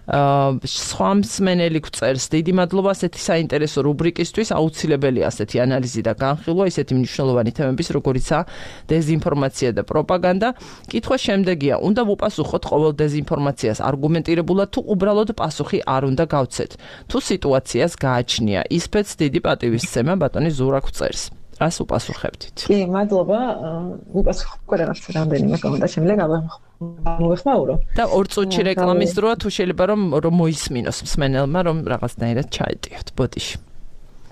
სხვა მსმენელი გვწერს, დიდი მადლობა ასეთი საინტერესო რუბრიკისთვის, აუცილებელია ასეთი ანალიზი და განხილვა, ისეთი მნიშვნელოვანი თემების, როგორიცაა დეზინფორმაცია და პროპაგანდა. კითხვა შემდეგია, უნდა ვუპასუხოთ ყოველ დეზინფორმაციას არგუმენტირებულად თუ უბრალოდ პასუხი არ უნდა გავცეთ. თუ სიტუაციას გააჩნია, ისფერს დიდი პატივისცემა, ბატონი ზურა გვწერს. რას უპასუხებდით? კი, მადლობა. უპასუხებ რაღაც რამდენიმე კომენტარ შემიძლია გამოვეხმაურო. და ორ წუთში რეკლამის დროა, თუ შეიძლება რომ რომ მოისმინოს მსმენელმა, რომ რაღაცნაირად ჩაეტიოთ ბოდიში.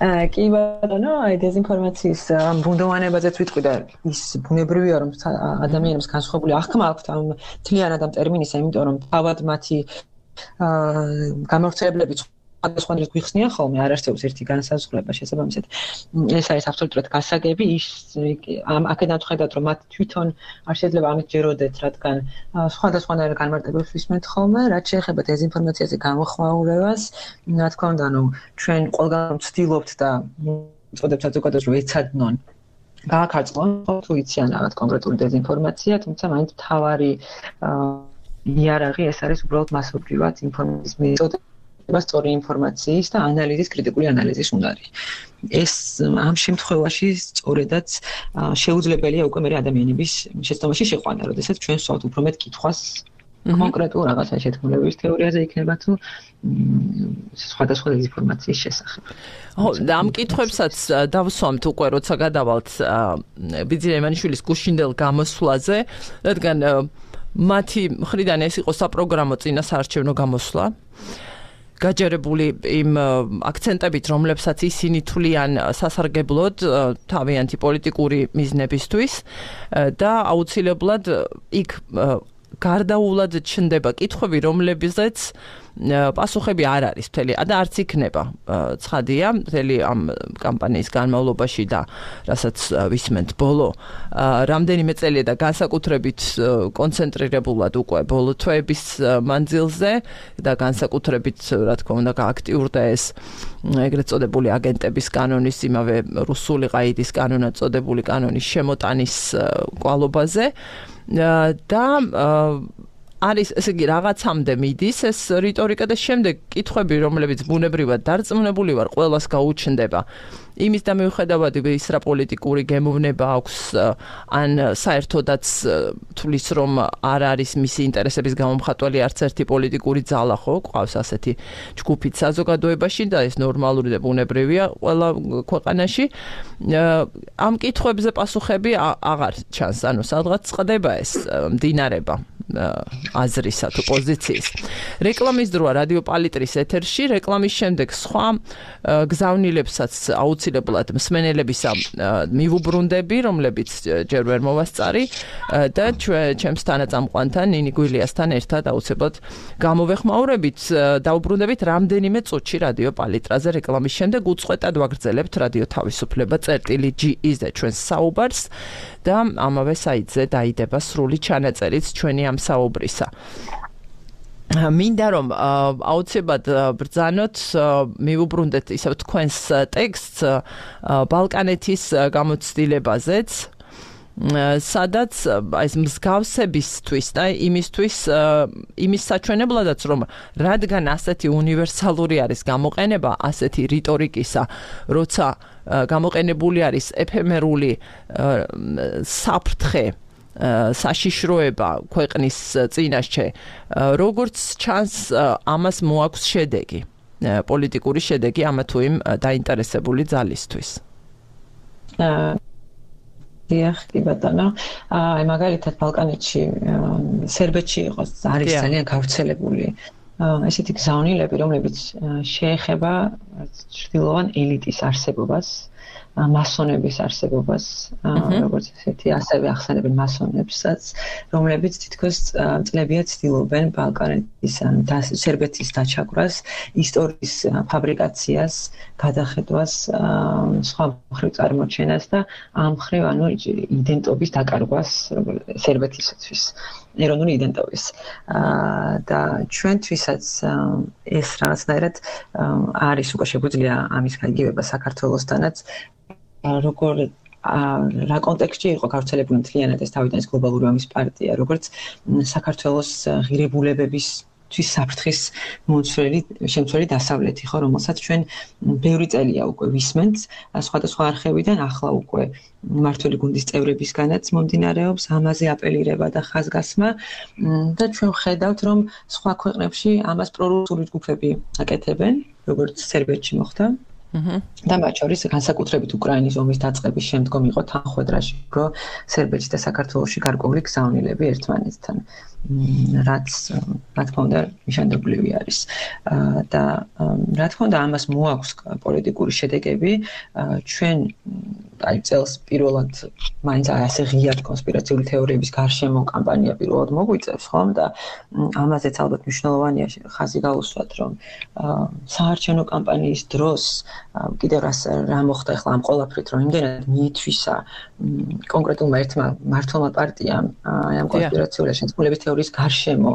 აა კი ბატონო, აი დეზინფორმაციის ბუნდოვანებაზეც ვიტყვი და ის ბუნებრივია, რომ ადამიანებს განსხვავებული აღქმა აქვთ ამ თლიანად ამ ტერმინისა, იმიტომ რომ თავად მათი აა გამორჩევლები სხვადასხვა დროს გვიხსნიან ხოლმე, არ არსებობს ერთი განსაზღვრება შესაბამისად. ეს არის აბსოლუტურად გასაგები, ის ამ აქედან ვხედავთ, რომ მათ თვითონ არ შეიძლება ამით ჯეროდეთ, რადგან სხვადასხვანაირ განმარტებებს ვისმენთ ხოლმე, რაც შეეხება დეზინფორმაციაზე გამოხმაურებას, რა თქმა უნდა, ნუ ჩვენ ყველგან ვცდილობთ და ვწოდებთ საზოგადოებას, რომ ეცადნონ გააქარწყლონ, თუ იციან რაღაც კონკრეტული დეზინფორმაცია, თუმცა მაინც მთავარი იარაღი ეს არის უბრალოდ მასობრივად ინფორმაციის მიწოდება. სწორი ინფორმაციის და ანალიზის, კრიტიკული ანალიზის უნარი. ეს ამ შემთხვევაში სწორედაც შეუძლებელია უკვე მე ადამიანების შეცდომაში შეყვანა, როდესაც ჩვენ ვსვავთ უფრო მეტ კითხვას კონკრეტულ რაღაცა შეთქმულების თეორიაზე იქნება თუ სხვადასხვა დეზინფორმაციის შესახებ. ხო, და ამ კითხვებსაც დავსვამთ უკვე, როცა გადავალთ ბიძინა ივანიშვილის გუშინდელ გამოსვლაზე, რადგან მათი მხრიდან ეს იყო საპროგრამო წინასაარჩევნო გამოსვლა. გაჯერებული იმ აქცენტებით, რომლებსაც ისინი თვლიან სასარგებლოდ თავიანთი პოლიტიკური მიზნებისთვის და აუცილებლად იქ გარდაულად ჩნდება კითხვები, რომლებზეც პასუხები არ არის მთელი და არც იქნება ცხადია მთელი ამ კამპანიის განმავლობაში და რასაც ვისმენთ ბოლო რამდენიმე წელია და განსაკუთრებით კონცენტრირებულად უკვე ბოლო თვეების მანძილზე და განსაკუთრებით რა თქმა უნდა გააქტიურდა ეს ეგრეთ წოდებული აგენტების კანონის იმავე რუსული ყაიდის კანონად წოდებული კანონის შემოტანის კვალობაზე და არის ესე იგი რაღაცამდე მიდის ეს რიტორიკა და შემდეგ კითხვები რომლებიც ბუნებრივად დარწმუნებული ვარ ყველას გაუჩნდება იმის და მიუხედავად ის რა პოლიტიკური გემოვნება აქვს ან საერთოდაც თulis რომ არ არის მისი ინტერესების გამომხატველი არც ერთი პოლიტიკური ძალა ხო ყავს ასეთი ჯგუფით საზოგადოებაში და ეს ნორმალური და ბუნებრივია ყველა ქვეყანაში ამ კითხვებზე პასუხები აღარ ჩანს ანუ სადღაც წყდება ეს მდინარება აზრისა თუ პოზიციის. რეკლამის დროა რადიო პალიტრის ეთერში, რეკლამის შემდეგ სხვა გზავნილებსაც აუცილებლად მსმენელებისა მივუბრუნდები, რომლებიც ჯერ ვერ მოვასწარი და ჩემს თანაწამყვანთან ნინი გვილიასთან ერთად აუცილებლად გამოვეხმაურებით, დაუბრუნდებით რამდენიმე წუთში რადიო პალიტრაზე რეკლამის შემდეგ უწყვეტად ვაგრძელებთ რადიო თავისუფლება წერტილი ჯი ი-ზე ჩვენს საუბარს და ამავე საიტზე დაიდება სრული ჩანაწერიც ჩვენი ამ საუბრისა. მინდა რომ აუცილებლად ბრძანოთ მივუბრუნდეთ ისევ თქვენს ტექსტს ბალკანეთის გამოცდილებაზეც სადაც ეს მსგავსებისთვის და იმისთვის იმის საჩვენებლადაც რომ რადგან ასეთი უნივერსალური არის გამოყენება ასეთი რიტორიკისა როცა გამოყენებული არის ეფემერული საფრთხე საშიშროება ქვეყნის წინაშე როგორც ჩანს ამას მოაქვს შედეგი პოლიტიკური შედეგი ამა თუ იმ დაინტერესებული ძალისთვის დიახ კი ბატონო აი მაგალითად ბალკანეთში სერბეთში იყოს არის ძალიან გავრცელებული ესეთი გზავნილები რომლებიც შეეხება ჩრდილოვან ელიტის არსებობას მასონების არსებობას, როგორც ესეთი ასევე ახსენებენ მასონებსაც, რომლებიც თითქოს წლებია ცდილობენ ბალკანეთის და სერბეთის დაჩაგვრას, ისტორიის ფაბრიკაციას, გადახედვას, სხვა მხრივ წარმოჩენას და ამ მხრივ ანუ იდენტობის დაკარგვას სერბეთისათვის, ეროვნული იდენტობის. და ჩვენთვისაც ეს რაღაცნაირად არის უკვე შეგვიძლია ამის გაიგივება საქართველოსთანაც როგორ რა კონტექსტში იყო გავრცელებული მთლიანად ეს თავიდან ეს გლობალური ომის პარტია, როგორც საქართველოს ღირებულებების თვის საფრთხის მომცველი შემცველი დასავლეთი ხო, რომელსაც ჩვენ ბევრი წელია უკვე ვისმენთ, სხვადასხვა არხებიდან ახლა უკვე მმართველი გუნდის წევრებისგანაც მომდინარეობს ამაზე აპელირება და ხაზგასმა და ჩვენ ვხედავთ რომ სხვა ქვეყნებში ამას პრორუსული ჯგუფები აკეთებენ, როგორც სერბეთში მოხდა. და მათ შორის განსაკუთრებით უკრაინის ომის დაწყების შემდგომ იყო თანხმედრაში, რომ სერბეთში და საქართველოში გარკვეული გზავნილები ერთმანეთთან, რაც რა თქმა უნდა ნიშანდობლივი არის. და რა თქმა უნდა ამას მოაქვს პოლიტიკური შედეგები, ჩვენ აი წელს პირველად მაინც ასე ღიად კონსპირაციული თეორიების გარშემო კამპანია პირველად მოგვიწევს, ხომ? და ამაზეც ალბათ მნიშვნელოვანია ხაზი გაუსვათ, რომ საარჩევნო კამპანიის დროს კიდევ რას რა მოხდა ახლა ამ ყოლაფრით რომ იმდენად მიითვისა კონკრეტულმა ერთმა მმართველმა პარტიამ აი ამ კონსპირაციული შეთქმულების თეორიის გარშემო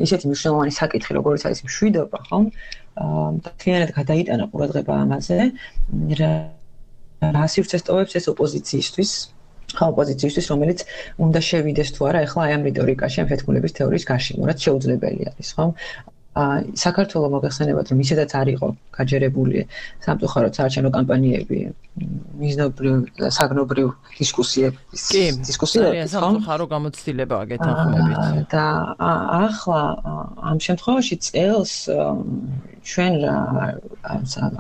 ისეთი მნიშვნელოვანი საკითხი როგორც არის მშვიდობა ხომ და თლიანად გადაიტანა ყურადღება ამაზე რა სივრცეს ტოვებს ეს ოპოზიციისთვის ხა ოპოზიციისთვის რომელიც უნდა შევიდეს თუ არა ახლა აი ამ რიტორიკაში ამ შეთქმულების თეორიის გარშემო რაც შეუძლებელი არის ხომ საქართველოს მოგეხსენებათ რომ ისედაც არ იყო გაჯერებული სამწუხაროდ საარჩევნო კამპანიები მიზნობრივ საგნობრივ დისკუსიების დისკუსიების სამწუხარო გამოცდილებაა გეთანხმებით და ახლა ამ შემთხვევაში წელს ჩვენ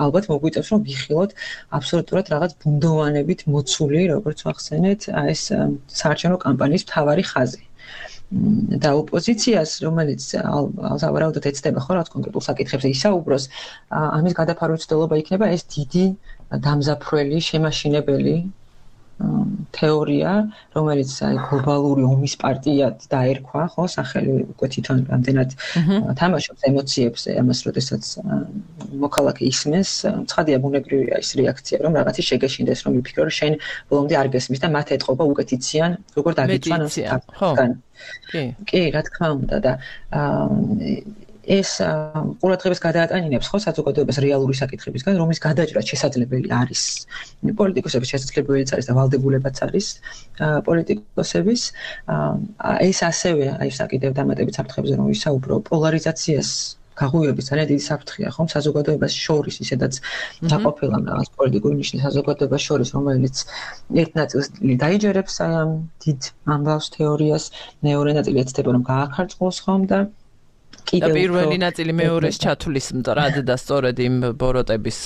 ალბათ მოგვიწევს რომ ვიხილოთ აბსოლუტურად რაღაც ბუნდოვანებით მოცული როგორც ვახსენეთ ეს საარჩევნო კამპანიის მთავარი ხაზი და ოპოზიციას, რომელიც სავარაუდოდ ეცდება ხო რაღაც კონკრეტულ საკითხებზე ისაუბროს, ამის გადაფარვის მცდელობა იქნება ეს დიდი დამზაფრველი, შემაშინებელი თეორია, რომელიც აი გლობალური ომის პარტიად დაერქვა, ხო, სახელი უკვე თვითონ რამდენად თამაშობს ემოციებზე, ამას როდესაც მოქალაქე ისმენს, ცხადია ბუნებრივია ის რეაქცია, რომ რაღაცის შეგეშინდეს, რომ იფიქრო, რომ შენ ბოლომდე არ გესმის და მათ ეტყობა უკეთიციან, როგორ დაგიცვან ამ საკითხთან. კი. კი, რა თქმა უნდა და ეს ყურადღებას გადაატანინებს ხო საზოგადოებას რეალური საკითხებისგან, რომლის გადაჭრა შესაძლებელი არის. პოლიტიკოსების შესაძლებელიც არის და ვალდებულებაც არის პოლიტიკოსების. ეს ასევე აი საკითხებ დამატებით საფრთხებზე რომ ვისაუბრო, პოლარიზაციას გაღუვების ძალიან დიდი საფრთხეა ხომ საზოგადოებას შორის, ისედაც დაყოფილა რაღაც პოლიტიკური ნიშნის საზოგადოებას შორის, რომელიც ერთ ნაწილს დაიჯერებს აი ამ დიდ ამბავს თეორიას, მეორე ნაწილი ეცდება რომ გააქარწყოს ხომ და და პირველი ნაწილი მეორეს ჩათვლის მტრად და სწორედ იმ ბოროტების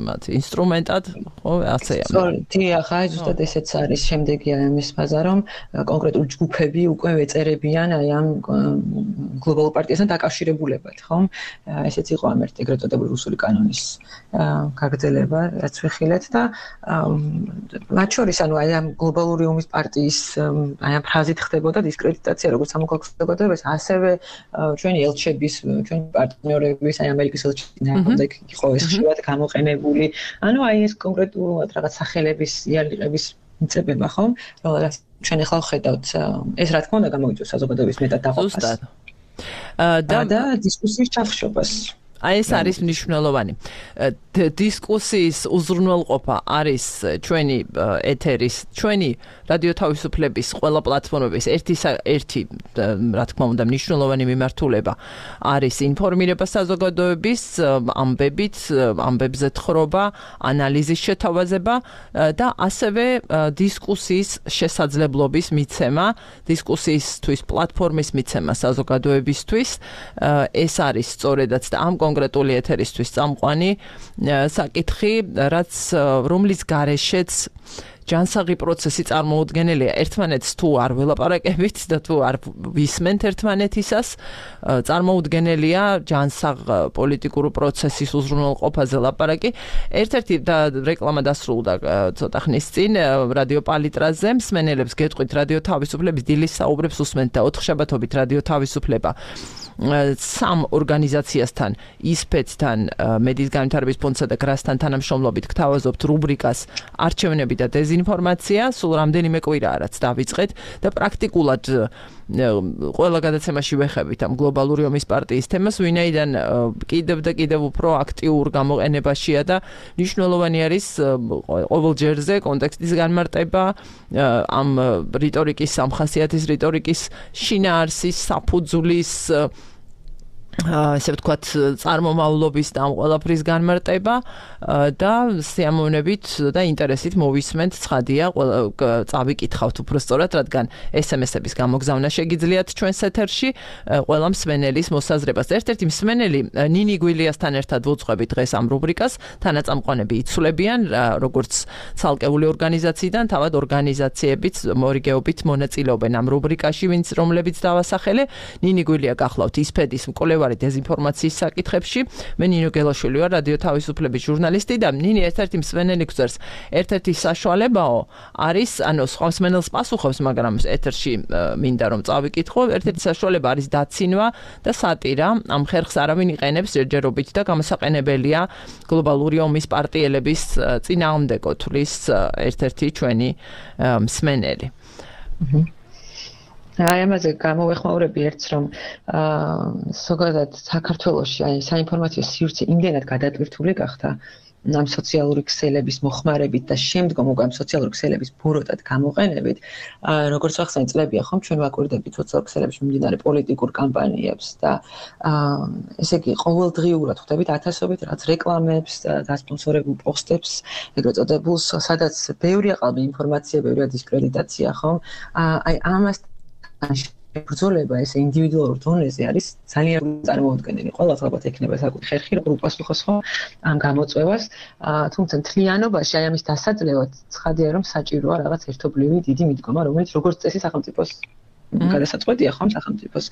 მათი ინსტრუმენტად, ხო, ასეა. დიახ, აი ზუსტად ესეც არის შემდეგი ამის ფაზა, რომ კონკრეტული ჯგუფები უკვე ეწერებიან აი ამ გლობალურ პარტიასთან დაკავშირებულებად, ხო? ესეც იყო ამ ერთ ეგრეთ წოდებული რუსული კანონის გაგრძელება, რაც ვიხილეთ და მათ შორის ანუ აი ამ გლობალური ომის პარტიის აი ამ ფრაზით ხდებოდა დისკრედიტაცია, როგორც სამოქალაქო საზოგადოებას, ასევე ჩვენი ელჩები ჩვენ პარტნიორების აი ამერიკის ელჩიდან იყო ეს ხშირად გამოყენებული. ანუ აი ეს კონკრეტულად რაღაც სახელების იარაღების მიწებება ხო? რომელიც ჩვენ ახლა ვხედავთ ეს რა თქმა უნდა გამოიწვევს საზოგადოების მეტად დაყოფას. ზუსტად. და დისკუსიის ჩახშობას. აი ეს არის მნიშვნელოვანი. დისკუსიის უზრუნველყოფა არის ჩვენი ეთერის, ჩვენი რადიო თავისუფლების ყველა პლატფორმების ერთი ერთი რა თქმა უნდა მნიშვნელოვანი მიმართულება არის ინფორმირება საზოგადოების ამბებით, ამბებზე თხრობა, ანალიზის შეთავაზება და ასევე დისკუსიის შესაძლებლობის მიცემა, დისკუსიისთვის პლატფორმის მიცემა საზოგადოებისთვის. ეს არის სწორედაც და ამ კონკრეტული ეთერისთვის წამყვანი საკითხი, რაც რომლის გარეშეც ჯანსაღი პროცესი წარმოუდგენელია. ერთმანეთს თუ არ ველაპარაკებით და თუ არ ვისმენთ ერთმანეთისას, წარმოუდგენელია ჯანსაღ პოლიტიკურ პროცესის უზრუნველყოფაზე ლაპარაკი. ერთ-ერთი და რეკლამა დასრულდა ცოტა ხნის წინ რადიო პალიტრაზე, მსმენელებს გეტყვით რადიო თავისუფლების დილის საუბრებს უსმენთ და ოთხშაბათობით რადიო თავისუფლება სამ ორგანიზაციასთან, ისპეთთან, მედიის განვითარების ფონდსა და გრასთან თანამშრომლობით გთავაზობთ რუბრიკას არჩევნები და დეზინფორმაცია, სულ რამდენიმე კვირაა რაც დავიწყეთ და პრაქტიკულად ყველა გადაცემაში ვეხებით ამ გლობალური ომის პარტიის თემას, ვინაიდან კიდევ და კიდევ უფრო აქტიურ გამოყენებაშია და მნიშვნელოვანი არის ყოველ ჯერზე კონტექსტის განმარტება, ამ რიტორიკის, სამხასიათის რიტორიკის შინაარსის, საფუძვლის ასე ვთქვათ, წარმომავლობის და ამ ყველაფრის განმარტება და სიამოვნებით და ინტერესით მოვისმენთ, ცხადია, წავიკითხავთ უფრო სწორად, რადგან ეს ემ ესების გამოგზავნა შეგიძლიათ ჩვენს ეთერში, ყველა მსმენელის მოსაზრებას. ერთ-ერთი მსმენელი ნინი გვილიასთან ერთად ვუძღვებით დღეს ამ რუბრიკას, თანაწამყვანები იცვლებიან, როგორც ცალკეული ორგანიზაციიდან, თავად ორგანიზაციებიც მორიგეობით მონაწილეობენ ამ რუბრიკაში, ვინც რომლებიც დავასახელე. ნინი გვილია გახლავთ ისპედის მკვლევარი დეზინფორმაციის საკითხებში. მე ნინო გელაშვილი ვარ, რადიო თავისუფლების ჟურნალისტი და ნინი ერთ-ერთი მსმენელი გვწერს, ერთ-ერთი საშუალებაო არის, ანუ სხვა მსმენელს პასუხობს, მაგრამ ეთერში მინდა რომ წავიკითხო, ერთ-ერთი საშუალება არის დაცინვა და სატირა. ამ ხერხს არავინ იყენებს ჯერჯერობით და გამოსაყენებელია გლობალური ომის პარტიელების წინააღმდეგო თვლის ერთ-ერთი ჩვენი მსმენელი. აი ამაზე გამოვეხმაურები ერთს, რომ ზოგადად საქართველოში აი საინფორმაციო სივრცე იმდენად გადატვირთული გახდა ამ სოციალური ქსელების მოხმარებით და შემდგომ უკვე ამ სოციალური ქსელების ბოროტად გამოყენებით, როგორც ახსენე წლებია ხომ ჩვენ ვაკვირდებით სოციალურ ქსელებში მიმდინარე პოლიტიკურ კამპანიებს და ესე იგი ყოველდღიურად ხვდებით ათასობით რაც რეკლამებს და დასპონსორებულ პოსტებს, ეგრეთ წოდებულს, სადაც ბევრია ყალბი ინფორმაცია, ბევრია დისკრედიტაცია, ხომ? აი ამას ბრძოლება ეს ინდივიდუალურ დონეზე არის ძალიან წარმოუდგენელი. ყველას ალბათ ექნება საკუთარი ხერხი, როგორ უპასუხოს ხო ამ გამოწვევას, თუმცა მთლიანობაში აი ამის დასაძლევად ცხადია, რომ საჭიროა რაღაც ერთობლივი დიდი მიდგომა, რომელიც როგორც წესი სახელმწიფოს გადასაწყვეტია ხომ სახელმწიფოს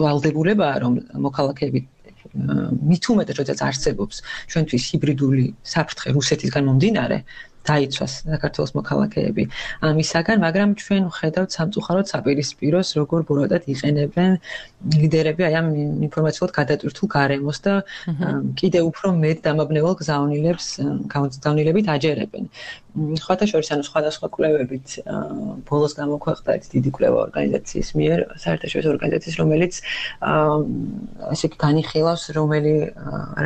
ვალდებულებაა რომ მოქალაქეები მით უმეტეს როდესაც არსებობს ჩვენთვის ჰიბრიდული საფრთხე რუსეთისგან მომდინარე დაიცვას საქართველოს მოქალაქეები ამისაგან, მაგრამ ჩვენ ვხედავთ სამწუხაროდ საპირისპიროს, როგორ ბოროტად იყენებენ ლიდერები აი ამ ინფორმაციულად გადატვირთულ გარემოს და კიდევ უფრო მეტ დამაბნეველ გზავნილებს გზავნილებით აჯერებენ. ხოთა შორის ანუ სხვადასხვა კვლევებით ბოლოს გამოქვეყნდა დიდი კვლევა ორგანიზაციის მიერ, საერთაშორისო ორგანიზაციის, რომელიც ასე იგი განიხილავს, რომელი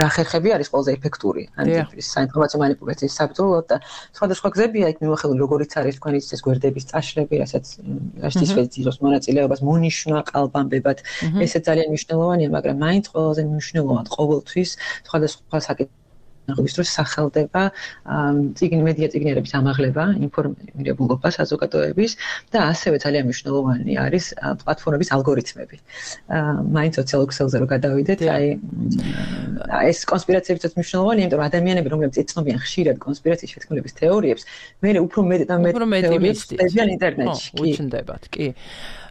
რა ხერხები არის ყველაზე ეფექტური ამ ტიპის საინფორმაციო манипуляციის საბრძოლოდ და სხვადასხვა გზებია იქ მიმოხილული, როგორიც არის თქვენი ეს გვერდების წაშლები, რასაც რასაც ვეძიროს მონაწილეობას მონიშნა ყალბამბებად. ესე ძალიან მნიშვნელოვანია, მაგრამ მაინც ყველაზე მნიშვნელოვანი ყოველთვის სხვადასხვა საკითხი ნახვის დროს სახელდება ციგნ მედია ციგნიერების ამაღლება, ინფორმირებულობა საზოგადოების და ასევე ძალიან მნიშვნელოვანი არის პლატფორმების ალგორითმები. მაინც სოციალურ ქსელზე რო გადავიდეთ, აი ეს კონსპირაციებიც მნიშვნელოვანია, იმიტომ რომ ადამიანები, რომლებიც ეცნობიან ხშირად კონსპირაციის შეთქმულების თეორიებს, მე უფრო მეტ და მეტ თეორიებს წერიან ინტერნეტში. კი, უჩნდებათ, კი.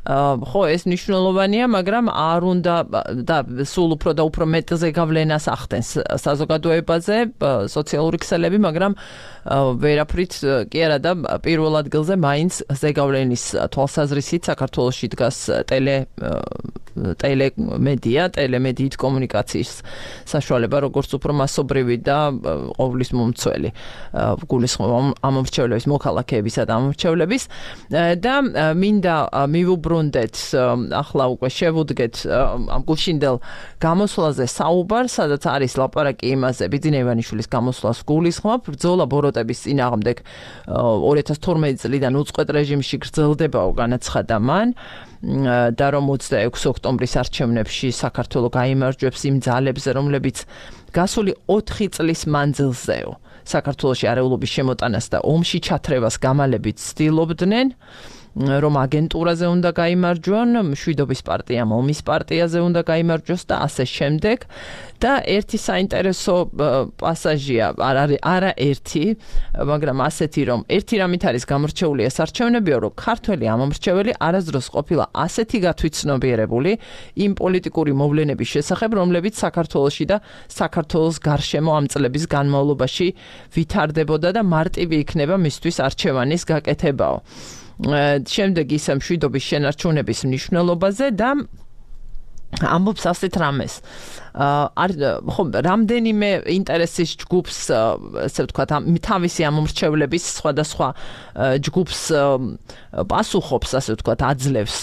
ხო, ეს მნიშვნელოვანია, მაგრამ არ უნდა და სულ უფრო და უფრო მეტზე გავლენას ახდენს საზოგადოებაზე სოციალური ქსელები, მაგრამ ვერაფრით კი არა და პირველ ადგილზე მაინც ზეგავლენის თვალსაზრისით საქართველოში დგას ტელე ტელემედია, ტელემედიით კომუნიკაციის საშუალება, როგორც უფრო მასობრივი და ყოვლის მომცველი გულისხმობა ამომრჩევლების, მოქალაქეებისა და ამომრჩევლების და მინდა მივუბრუნდეთ ახლა უკვე შევუდგეთ ამ გულშინდელ გამოსვლაზე საუბარ, სადაც არის ლაპარაკი იმაზე, ბიძინა ივანიშვილის გამოსვლას გულისხმობ, ბრძოლა ბოროტების წინააღმდეგ ორი ათას თორმეტი წლიდან უწყვეტ რეჟიმში გრძელდებაო, განაცხადა მან. და რომ ოცდაექვსი ოქტომბრის არჩევნებში საქართველო გაიმარჯვებს იმ ძალებზე, რომლებიც გასული ოთხი წლის მანძილზეო საქართველოში არეულობის შემოტანას და ომში ჩათრევას გამალებით ცდილობდნენ, რომ აგენტურაზე უნდა გაიმარჯვონ, მშვიდობის პარტიამ ომის პარტიაზე უნდა გაიმარჯვოს და ასე შემდეგ. და ერთი საინტერესო პასაჟია, არ არის არა ერთი, მაგრამ ასეთი, რომ ერთი რამით არის გამორჩეული ეს არჩევნებიო, რომ ქართველი ამომრჩეველი არასდროს ყოფილა ასეთი გათვითცნობიერებული იმ პოლიტიკური მოვლენების შესახებ, რომლებიც საქართველოში და საქართველოს გარშემო ამ წლების განმავლობაში ვითარდებოდა და მარტივი იქნება მისთვის არჩევანის გაკეთებაო. შემდეგ ისე მშვიდობის შენარჩუნების მნიშვნელობაზე და ამბობს ასეთ რამეს. ხო, რამდენიმე ინტერესის ჯგუფს, ასე ვთქვათ, თავისი ამომრჩევლების სხვადასხვა ჯგუფს პასუხობს, ასე ვთქვათ, აძლევს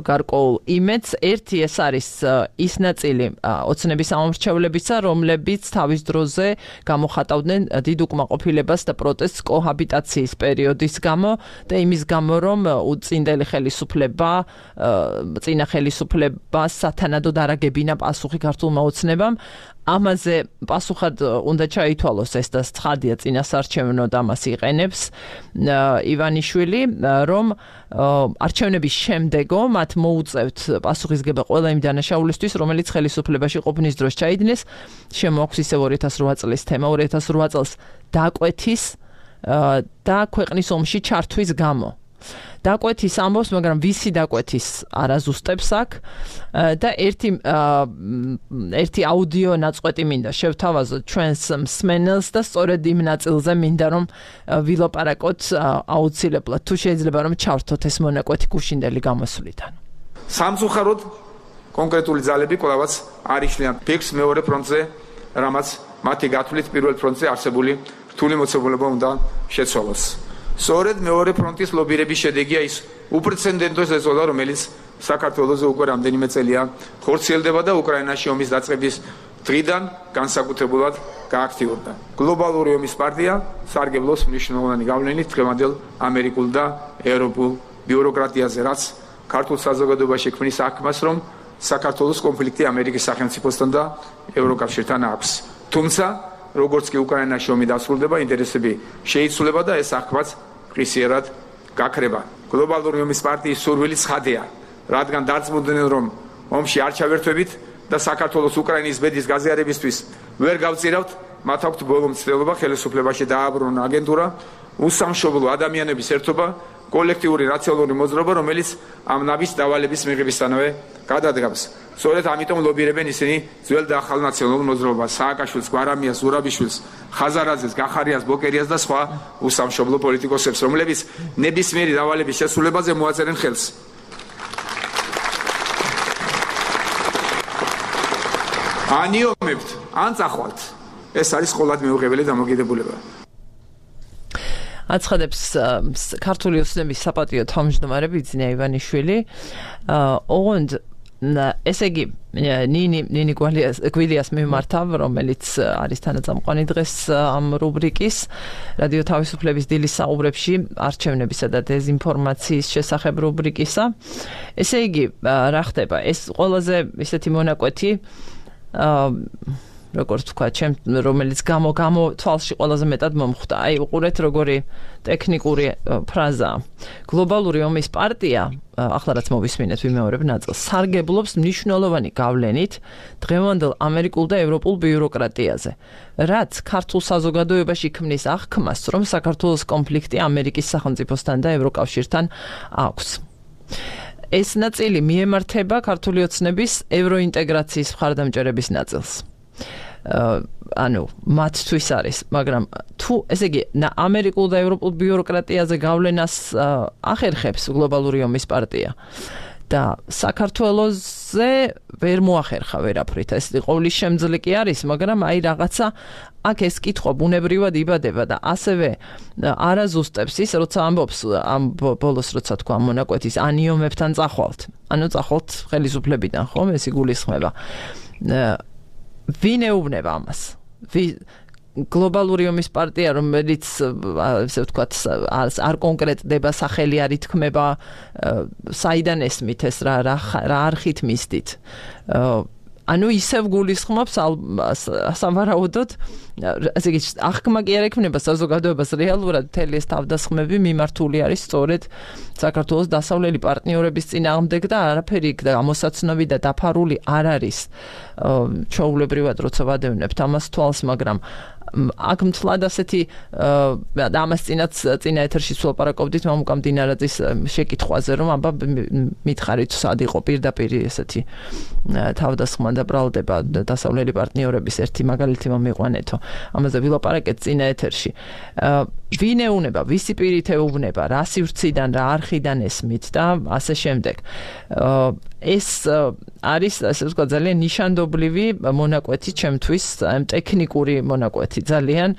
გარკვეულ იმედს. ერთი ეს არის ის ნაწილი ოცნების ამომრჩევლებისა, რომლებიც თავის დროზე გამოხატავდნენ დიდ უკმაყოფილებას და პროტესტს კოჰაბიტაციის პერიოდის გამო და იმის გამო, რომ უწინდელი ხელისუფლება, წინა ხელისუფლებას სათანადოდ არაგებინა პასუხი ქართულმა ოცნებამ. ამაზე პასუხად უნდა ჩაითვალოს ეს და ცხადია წინასარჩევნო და მას იყენებს ივანიშვილი, რომ არჩევნების შემდეგო მათ მოუწევთ პასუხისგება ყველა იმ დანაშაულისთვის, რომელიც ხელისუფლებაში ყოფნის დროს ჩაიდინეს. შემოაქვს ისევ ორი ათას რვა წლის თემა, ორი ათას რვა წელს დაკვეთის და ქვეყნის ომში ჩართვის გამო. დაკვეთის ამბობს, მაგრამ ვისი დაკვეთის არაზუსტებს აქ და ერთი ერთი აუდიო ნაწყვეტი მინდა შევთავაზოთ ჩვენს მსმენელს და სწორედ იმ ნაწილზე მინდა რომ ვილაპარაკოთ აუცილებლად, თუ შეიძლება რომ ჩავრთოთ ეს მონაკვეთი გუშინდელი გამოსვლიდან. სამწუხაროდ კონკრეტული ძალები კვლავაც არ იშლიან ფიქს მეორე ფრონტზე, რამაც მათი გათვლით პირველ ფრონტზე არსებული რთული მოცემულობა უნდა შეცვალოს. სწორედ მეორე ფრონტის ლობირების შედეგია ის უპრეცედენტო ზეწოლა, რომელიც საქართველოს უკვე რამდენიმე წელია ხორციელდება და უკრაინაში ომის დაწყების დღიდან განსაკუთრებულად გააქტიურდა. გლობალური ომის პარტია სარგებლობს მნიშვნელოვანი გავლენით დღევანდელ ამერიკულ და ევროპულ ბიუროკრატიაზე, რაც ქართულ საზოგადოებაში ქმნის აღქმას, რომ საქართველოს კონფლიქტი ამერიკის სახელმწიფოსთან და ევროკავშირთან აქვს. თუმცა როგორც კი უკრაინაში ომი დასრულდება, ინტერესები შეიცვლება და ეს აღქმაც ღირსიერად გაქრება. გლობალური ომის პარტიის სურვილი ცხადია, რადგან დარწმუნდნენ, რომ ომში არ ჩავერთვებით და საქართველოს უკრაინის ბედის გაზიარებისთვის ვერ გავწირავთ, მათ აქვთ ბოლო მცდელობა ხელისუფლებაში დააბრუნა აგენტურა, უსამშობლო ადამიანების ერთობა კოლექტიური რაციონალური მოძრაობა, რომელიც ამ ნაბის დავალების მიღებისთანავე გადადგამს. სწორედ ამიტომ ლობირებენ ისინი ძველ და ახალ ნაციონალურ მოძრაობას, სააკაშვილს, გვარამიას, ზურაბიშვილს, ხაზარაძეს, გახარიას, ბოკერიას და სხვა უსამშობლო პოლიტიკოსებს, რომლებიც ნებისმიერი დავალების შესრულებაზე მოაწერენ ხელს. ანიომებთ, ან წახვალთ. ეს არის ყოველად მეუღებელი დამოკიდებულება. აცხადებს ქართული ოცნების საპატიო თავმჯდომარე ბიძინა ივანიშვილი. ოღონდ ესე იგი ნინი ნინი გვილიას მიმართავ, რომელიც არის თანაწამყვანი დღეს ამ რუბრიკის რადიო თავისუფლების დილის საუბრებში არჩევნებისა და დეზინფორმაციის შესახებ რუბრიკისა. ესე იგი რა ხდება? ეს ყველაზე ისეთი მონაკვეთი როგორც თქვა, ჩემ რომელიც გამო გამო თვალში ყველაზე მეტად მომხვდა. აი, უყურეთ როგორი ტექნიკური ფრაზა. გლობალური ომის პარტია, ახლა რაც მოვისმინეთ ვიმეორებ ნაწილს, სარგებლობს მნიშვნელოვანი გავლენით დღევანდელ ამერიკულ და ევროპულ ბიუროკრატიაზე, რაც ქართულ საზოგადოებაში ქმნის აღქმას, რომ საქართველოს კონფლიქტი ამერიკის სახელმწიფოსთან და ევროკავშირთან აქვს. ეს ნაწილი მიემართება ქართული ოცნების ევროინტეგრაციის მხარდამჭერების ნაწილს. ანუ მათთვის არის, მაგრამ თუ ესე იგი ამერიკულ და ევროპულ ბიუროკრატიაზე გავლენას ახერხებს გლობალური ომის პარტია და საქართველოზე ვერ მოახერხა ვერაფრით. ეს ყოვლის შემძლე კი არის, მაგრამ აი რაღაცა აქ ეს კითხვა ბუნებრივად იბადება და ასევე არა ზუსტებს ის, როცა ამბობს ამ ბოლოს როცა თქვა მონაკვეთის ანიომებთან წახვალთ. ანუ წახვალთ ხელისუფლებიდან, ხომ? ეს იგულისხმება. ვინ ეუბნება ამას? გლობალური ომის პარტია, რომელიც ესე ვთქვათ, არ კონკრეტდება, სახელი არ ითქმება, საიდან ესმით ეს რა რა არხით მისდით. ანუ ისევ გულისხმობს სავარაუდოდ, ასე იგი აღქმა კი არ ექმნება საზოგადოებას, რეალურად მთელი ეს თავდასხმები მიმართული არის სწორედ საქართველოს დასავლელი პარტნიორების წინააღმდეგ და არაფერი გამოსაცნობი და დაფარული არ არის. ჩვეულებრივად როცა ვადევნებთ ამას თვალს, მაგრამ აქ მთლად ასეთი ამას წინაც წინა ეთერში ვლაპარაკობდით მამუკა მდინარაძის შეკითხვაზე, რომ აბა მითხარით სად იყო პირდაპირ ესეთი თავდასხმა და ბრალდება დასავლელი პარტნიორების ერთი მაგალითი მომიყვანეთო. ამაზე ვილაპარაკეთ წინა ეთერში. ვინ ეუბნება, ვისი პირით ეუბნება, რა სივრციდან, რა არხიდან ესმით და ასე შემდეგ. ეს არის, ასე ვთქვათ, ძალიან ნიშანდობლივი მონაკვეთი ჩემთვის, ტექნიკური მონაკვეთი, ძალიან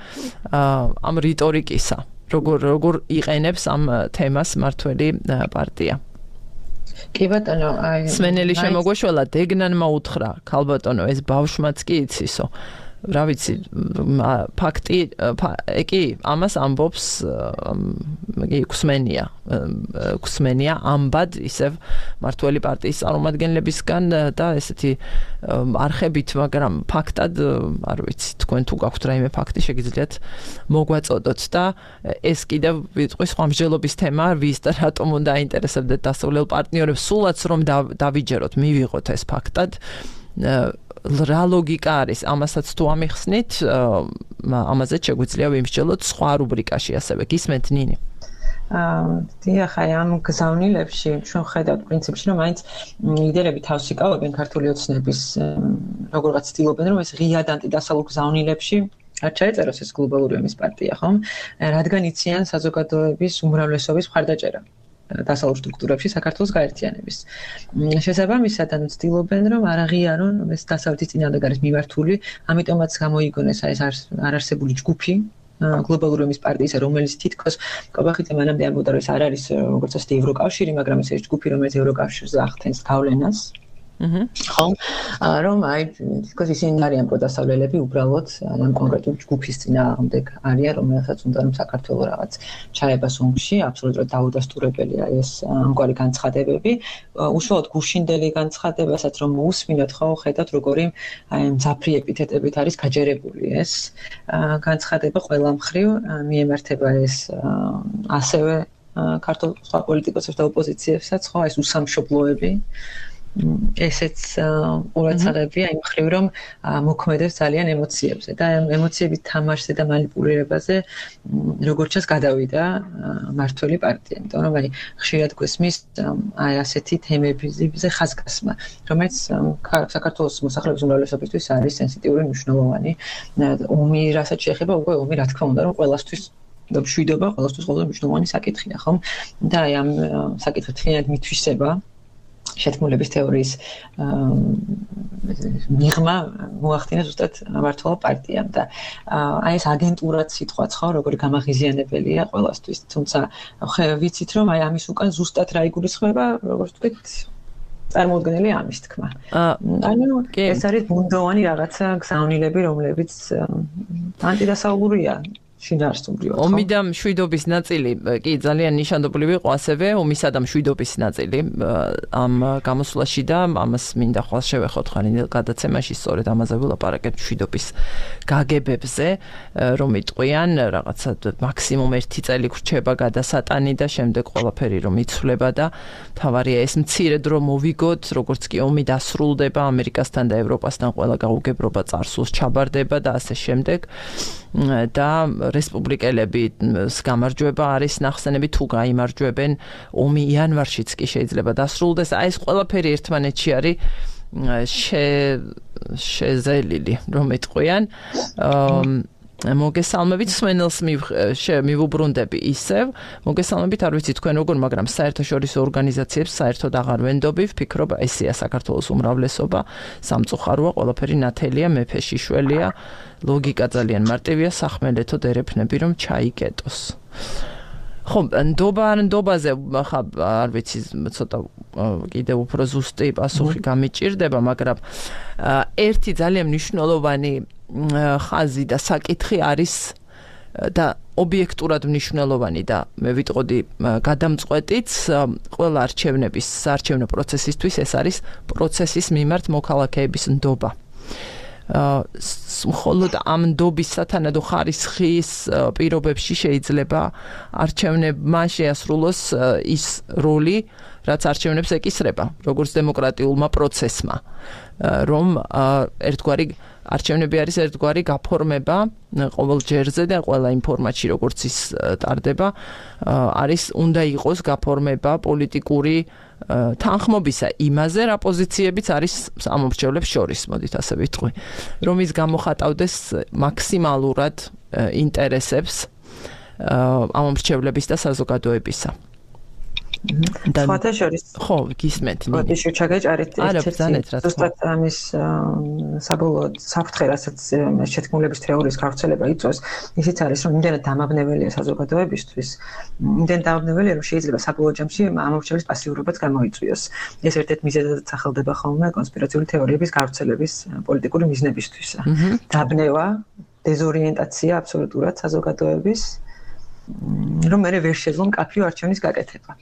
ამ რიტორიკისა, როგორ როგორ იყენებს ამ თემას მართველი პარტია. კი ბატონო, აი სმენელი შემოგვეშველა, დეგნანმა უთხრა, ქალბატონო, ეს ბავშვმაც კი იცისო. რა ვიცი, ფაქტი კი ამას ამბობს კუსმენია კუსმენია ამბად ისევ მართველი პარტიის წარმომადგენლებისგან და ესეთი არხებით, მაგრამ ფაქტად არ ვიცი, თქვენ თუ გაქვთ რაიმე ფაქტი შეგიძლიათ მოგვაწოდოთ და ეს კიდევ ვიტყვი სხვა მსჯელობის თემა, ვის და რატომ უნდა აინტერესებდეთ დასავლელ პარტნიორებს, სულაც რომ დავიჯეროთ, მივიღოთ ეს ფაქტად. რა ლოგიკა არის ამასაც თუ ამიხსნით, ამაზე შეგვიძლია ვიმსჯელოთ სხვა რუბრიკაში ასევე. გისმენთ ნინი? აა დიახ, აი ამ გზავნილებში ჩვენ ხედავთ პრინციპში, რომ მაინც ლიდერები თავს იკავებენ ქართული ოცნების, როგორღაც ცდილობენ, რომ ეს ღიად ანტიდასავლურ გზავნილებში არ ჩაეწეროს ეს გლობალური ომის პარტია, ხომ? რადგან იციან საზოგადოების უმრავლესობის მხარდაჭერა დასავლურ სტრუქტურებში საქართველოს გაერთიანების. შესაბამისად, ანუ ცდილობენ, რომ არ აღიარონ ეს დასავლეთის წინააღმდეგ არის მიმართული, ამიტომაც გამოიგონეს ეს არარსებული ჯგუფი გლობალური ომის პარტიისა, რომელიც თითქოს კობახიძე მანამდე ამბობდა, რომ ეს არ არის როგორც ასეთი ევროკავშირი, მაგრამ ეს ჯგუფი, რომელიც ევროკავშირზე ახდენს გავლენას. ხო, რომ აი თითქოს ისინი არიან პროდასავლელები, უბრალოდ ამ კონკრეტულ ჯგუფის წინააღმდეგ არიან, რომელსაც უნდა რომ საქართველოს რაღაც ჩაებას ომში, აბსოლუტურად დაუდასტურებელია ეს ამგვარი განცხადებები. უშუალოდ გუშინდელი განცხადებასაც რომ მოусმინოთ, ხო, ხედავთ როგორი აი მძაფრი ეპითეტებით არის გაჯერებული ეს განცხადება ყველა მხრივ მიემართება ეს ასევე ქართულ სხვა პოლიტიკოსებს და ოპოზიციებსაც, ხო, ეს უსამშობლოები ესეც ყურადღებია იმ ხრივ რომ მოქმედებს ძალიან ემოციებზე და ემოციების თამაშზე და манипуლირებაზე როგორც ჩანს გადავიდა მართველი პარტია. იმიტომ რომ აი ხშირად გვესმის აი ასეთი თემებზე ხაზგასმა, რომელიც საქართველოს მოსახლეობის უმრავლესობისთვის არის სენსიტიური მნიშვნელოვანი. ომი რასაც შეეხება, უკვე ომი რა თქმა უნდა რომ ყველასთვის და მშვიდობა ყველასთვის ყველაზე მნიშვნელოვანი საკითხია, ხომ? და აი ამ საკითხით ხინად მithვისება შეთქმულების თეორიის მიღმა მოახდინა ზუსტად მართლობა პარტიამ და აი ეს აგენტურად სიტყვაც ხო როგორი გამაღიზიანებელია ყველასთვის თუმცა ხე ვიცით რომ აი ამის უკან ზუსტად რა იგულისხმება როგორც ვთქვით წარმოუდგენელი ამის თქმა ანუ ეს არის ბუნდოვანი რაღაცა გზავნილები რომლებიც ანტიდასავლურია შინაარსობრივად. ომი და მშვიდობის ნაწილი კი ძალიან ნიშანდობლივ იყო ასევე ომისა და მშვიდობის ნაწილი ამ გამოსვლაში და ამას მინდა ხვალ შევეხოთ ხარ გადაცემაში სწორედ ამაზე ვილაპარაკეთ მშვიდობის გაგებებზე რომ იტყვიან რაღაცა მაქსიმუმ ერთი წელი გრჩება გადასატანი და შემდეგ ყველაფერი რომ იცვლება და თავარია ეს მცირე დრო მოვიგოთ როგორც კი ომი დასრულდება ამერიკასთან და ევროპასთან ყველა გაუგებრობა წარსულს ჩაბარდება და ასე შემდეგ და რესპუბლიკელების გამარჯვება არის ნახსენები თუ გაიმარჯვებენ ომი იანვარშიც კი შეიძლება დასრულდეს აი ეს ყველაფერი ერთმანეთში არის შეზელილი რომ ეტყვიან მოგესალმებით სვენელს მივუბრუნდები ისევ მოგესალმებით არ ვიცი თქვენ როგორ მაგრამ საერთაშორისო ორგანიზაციებს საერთოდ აღარ ვენდობი ვფიქრობ ესეა საქართველოს უმრავლესობა სამწუხაროა ყველაფერი ნათელია მეფეშიშველია ლოგიკა ძალიან მარტივია სახმელეთო დერეფნები რომ ჩაიკეტოს ხო ნდობა ან ნდობაზე ხა არ ვიცი ცოტა კიდევ უფრო ზუსტი პასუხი გამიჭირდება მაგრამ ერთი ძალიან მნიშვნელოვანი ხაზი და საკითხი არის და ობიექტურად მნიშვნელოვანი და მე ვიტყოდი გადამწყვეტიც ყველა არჩევნების საარჩევნო პროცესისთვის ეს არის პროცესის მიმართ მოქალაქეების ნდობა. მხოლოდ ამ ნდობის სათანადო ხარისხის პირობებში შეიძლება არჩევნებმა შეასრულოს ის როლი რაც არჩევნებს ეკისრება როგორც დემოკრატიულმა პროცესმა რომ ერთგვარი არჩევნები არის ერთგვარი გაფორმება ყოველ ჯერზე და ყველა იმ ფორმატში როგორც ის ტარდება არის უნდა იყოს გაფორმება პოლიტიკური თანხმობისა იმაზე რა პოზიციებიც არის ამომრჩევლებს შორის მოდით ასე ვიტყვი რომ ის გამოხატავდეს მაქსიმალურად ინტერესებს ამომრჩევლების და საზოგადოებისა სხვათა შორის ხო გისმენთ მოდი შევჩაგეჭარით ერთ-ერთი ზუსტად ამის საბოლოო საფრთხე რასაც შეთქმულების თეორიის გავრცელება იწვევს ისიც არის რომ იმდენად დამაბნეველია საზოგადოებისთვის იმდენად დამაბნეველია რომ შეიძლება საბოლოო ჯამში ამომრჩევლის პასიურობაც გამოიწვიოს ეს ერთ-ერთ მიზეზად სახელდება ხოლმე კონსპირაციული თეორიების გავრცელების პოლიტიკური მიზნებისთვის დაბნევა დეზორიენტაცია აბსოლუტურად საზოგადოების რომ მე ვერ შეძლო მკაფიო არჩევნის გაკეთება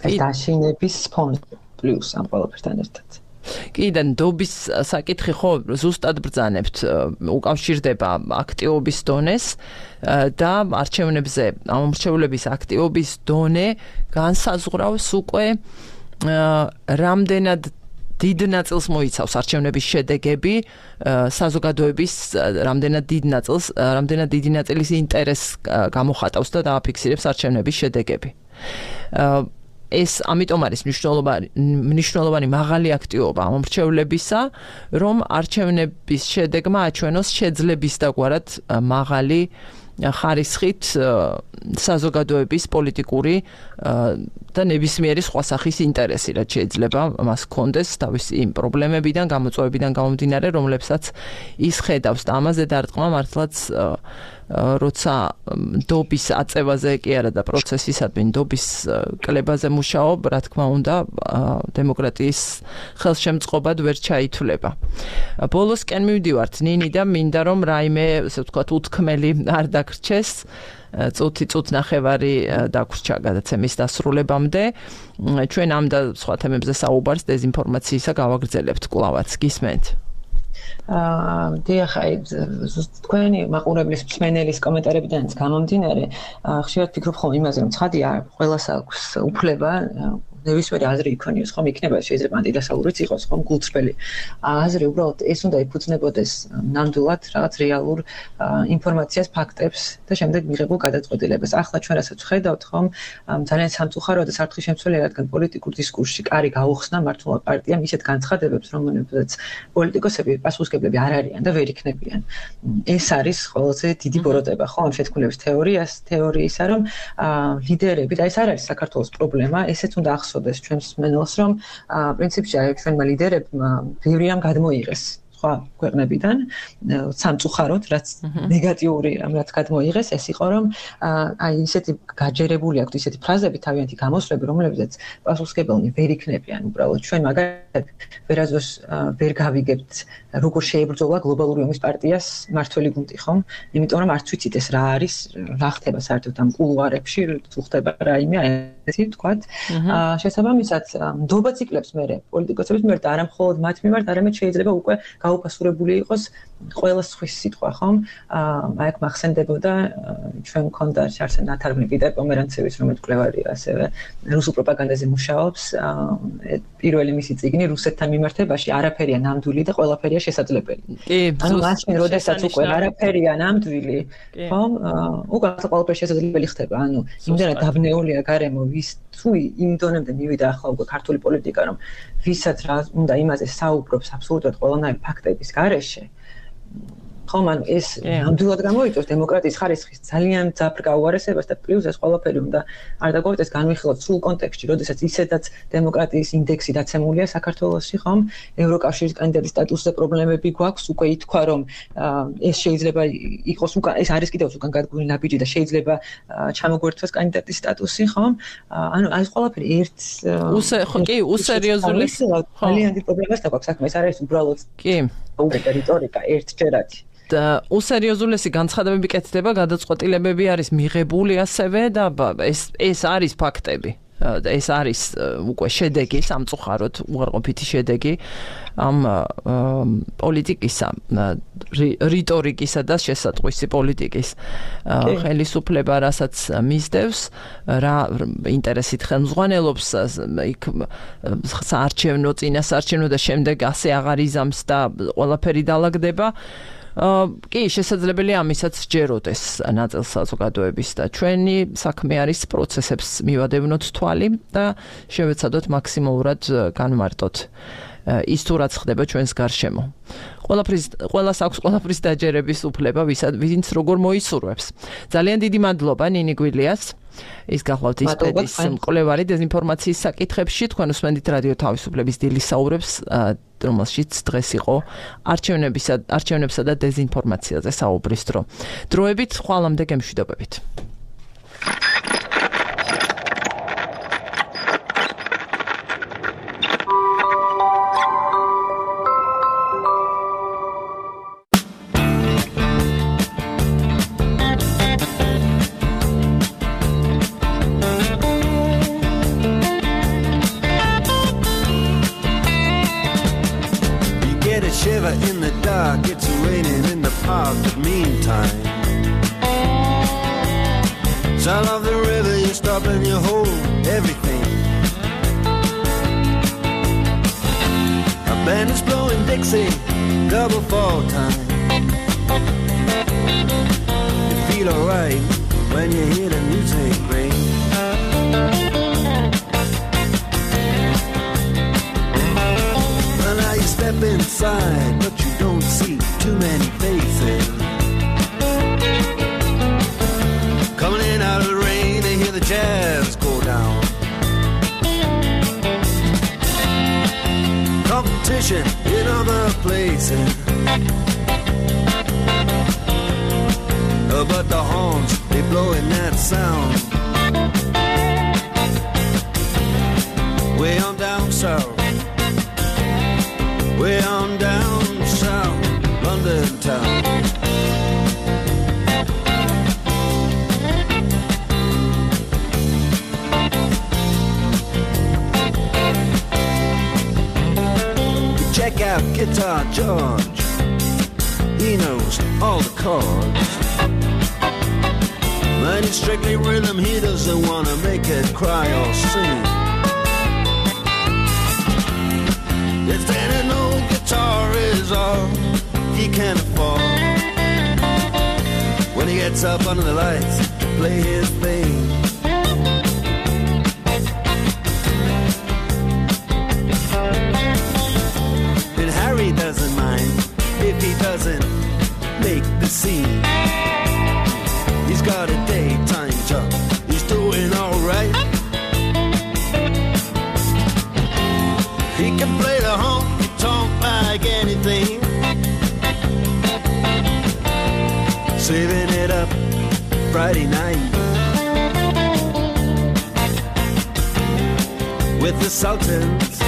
ეს დაშინების ფონზე პლუს ამ ყველაფერთან ერთად. კი და ნდობის საკითხი ხო ზუსტად ბრძანებთ უკავშირდება აქტივობის დონეს და არჩევნებზე ამომრჩევლების აქტივობის დონე განსაზღვრავს უკვე რამდენად დიდ ნაწილს მოიცავს არჩევნების შედეგები საზოგადოების რამდენად დიდ ნაწილს რამდენად დიდი ნაწილის ინტერესს გამოხატავს და დააფიქსირებს არჩევნების შედეგები. ეს ამიტომ არის მნიშვნელოვანი მნიშვნელოვანი მაღალი აქტივობა ამომრჩევლებისა რომ არჩევნების შედეგმა აჩვენოს შეძლების დაგვარად მაღალი ხარისხით საზოგადოების პოლიტიკური და ნებისმიერი სხვა სახის ინტერესი რაც შეიძლება მას ჰქონდეს თავისი იმ პრობლემებიდან გამოწვევებიდან გამომდინარე რომლებსაც ის ხედავს და ამაზე დარტყმა მართლაც როცა ნდობის აწევაზე კი არა და პროცესისადმი ნდობის კლებაზე მუშაობ რა თქმა უნდა დემოკრატიის ხელშემწყობად ვერ ჩაითვლება. ბოლოსკენ მივდივართ ნინი და მინდა რომ რაიმე ასე ვთქვათ უთქმელი არ დაგრჩეს წუთი წუთ ნახევარი დაგვრჩა გადაცემის დასრულებამდე ჩვენ ამ და სხვა თემებზე საუბარს დეзинფორმაციისა გავაგრძელებთ კვლავაც გისმენთ აა დიახ აი თქვენი მაყურებლის მსმენელის კომენტარებიდანაც გამომდინარე ხშირად ფიქრობ ხოლმე იმაზე რომ ცხადია ყველას აქვს უფლება ნებისმიერი აზრი იქონიოს, ხომ იქნება შეიძლება ანტიდასავლურიც იყოს, ხომ გულწრფელი აზრი, უბრალოდ ეს უნდა იფუძნებოდეს ნამდვილად რაღაც რეალურ ინფორმაციას, ფაქტებს და შემდეგ მიღებულ გადაწყვეტილებას. ახლა ჩვენ რასაც ვხედავთ, ხომ ძალიან სამწუხაროა და სართხისშემცველია, რადგან პოლიტიკურ დისკურსში კარი გაუხსნა მართლმა პარტიამ ისეთ განცხადებებს, რომელებზეც პოლიტიკოსები პასუხისმგებლები არ არიან და ვერ იქნებიან. ეს არის ყველაზე დიდი ბოროტება, ხო, ამ შეთქმულების თეორიას, თეორიისა, რომ ლიდერები და ეს არ არის საქართველოს პრობლემა, ესეც უნდა ახსოვდეს ჩვენს მსმენელს, რომ პრინციპში ჩვენმა ლიდერებმა ბევრი რამ გადმოიღეს სხვა ქვეყნებიდან, სამწუხაროდ, რაც ნეგატიური რამ რაც გადმოიღეს, ეს იყო, რომ აი ისეთი გაჯერებული აქვთ ისეთი ფრაზები, თავიანთი გამოსვლები, რომლებზეც პასუხისმგებლნი ვერ იქნებიან უბრალოდ. ჩვენ მაგალითად ვერაზოს ვერ გავიგებთ, როგორ შეებრძოლა გლობალური ომის პარტიას მართველი გუნდი, ხომ? იმიტომ რომ არც ვიცით ეს რა არის, რა ხდება საერთოდ ამ კულუარებში, თუ ხდება რაიმე ესეთი ვთქვათ. შესაბამისად, ნდობაც იკლებს მერე პოლიტიკოსების მიმართ, არა მხოლოდ მათ მიმართ, არამედ შეიძლება უკვე გაუფასურებული იყოს ყველა სხვის სიტყვა, ხომ? აი აქ მახსენდებოდა ჩვენ მქონდა შარსენ ნათარგმნი პიტერ პომერანცევის, რომელიც მკვლევარია, ასევე რუსულ პროპაგანდაზე მუშაობს. პირველი მისი წიგნი რუსეთთან მიმართებაში არაფერია ნამდვილი და ყველაფერია შესაძლებელი. ანუ მაშინ, როდესაც უკვე არაფერია ნამდვილი, ხომ? უკვე ყველაფერი შესაძლებელი ხდება. ანუ იმდენად დაბნეულია გარემო, ვის თუ იმ დონემდე მივიდა ახლა უკვე ქართული პოლიტიკა, რომ ვისაც რა უნდა იმაზე საუბრობს აბსოლუტურად ყველანაირი ფაქტების გარეშე. ხომ, ანუ ეს ნამდვილად გამოიწვევს დემოკრატიის ხარისხის ძალიან ძაფრ გაუარესებას და პლუს ეს ყველაფერი უნდა არ დაგვეწეს განვიხილოთ სრულ კონტექსტში, როდესაც ისედაც დემოკრატიის ინდექსი დაცემულია საქართველოში, ხომ? ევროკავშირის კანდიდატის სტატუსზე პრობლემები გვაქვს, უკვე ითქვა, რომ ეს შეიძლება იყოს უკან, ეს არის კიდევ უკან გადგმული ნაბიჯი და შეიძლება ჩამოგვერთვას კანდიდატის სტატუსი, ხომ? ანუ ეს ყველაფერი ერთ კი, უსერიოზული ძალიან დიდი პრობლემას დაგვაქვს საქმე, ეს არის უბრალოდ კი, უბრალოდ რიტორიკა ერთჯერადი. უსერიოზულესი განცხადებები კეთდება, გადაწყვეტილებები არის მიღებული ასევე და ეს ეს არის ფაქტები. ეს არის უკვე შედეგი, სამწუხაროდ უარყოფითი შედეგი ამ პოლიტიკისა, რიტორიკისა და შესატყვისი პოლიტიკის ხელისუფლება, რასაც მისდევს, რა ინტერესით ხელმძღვანელობს, იქ საარჩევნო, წინასაარჩევნო და შემდეგ ასე აღარ იზამს და ყველაფერი დაალაგდება. კი, შესაძლებელია ამისაც ჯეროდეს ნაწილ საზოგადოების და ჩვენი საქმე არის პროცესებს მივადევნოთ თვალი და შევეცადოთ მაქსიმალურად განმარტოთ ის თუ რაც ხდება ჩვენს გარშემო. ყველაფრის ყველას აქვს ყველაფრის დაჯერების უფლება, ვინც როგორ მოისურვებს. ძალიან დიდი მადლობა ნინი გვილიას. ის გახლავთ ისპედის მკვლევარი დეзинფორმაციის საკითხებში, თქვენ უსმენთ რადიო თავისუფლების დილის საუბრებს, რომელშიც დღეს იყო არჩევნებისა არჩევნებსა და დეзинფორმაციაზე საუბრის დრო. დროებით ხვალამდე გემშვიდობებით. In the dark, it's raining in the park, but meantime, sound of the river, you stop and you hold everything. A band is blowing Dixie, double fall time. You feel alright when you hear the music ring. Step inside, but you don't see too many faces. Coming in out of the rain, they hear the jazz go down. Competition in other places, but the horns, they blowing that sound. Way on down south, way on down south, London town. Check out Guitar George, he knows all the chords. But it's strictly rhythm, he doesn't want to make it cry or sing. can't afford. When he gets up under the lights to play his thing. And Harry doesn't mind if he doesn't make the scene. He's got a daytime job, he's doing alright. He can play the honky-tonk like anything, saving it up Friday night with the Sultans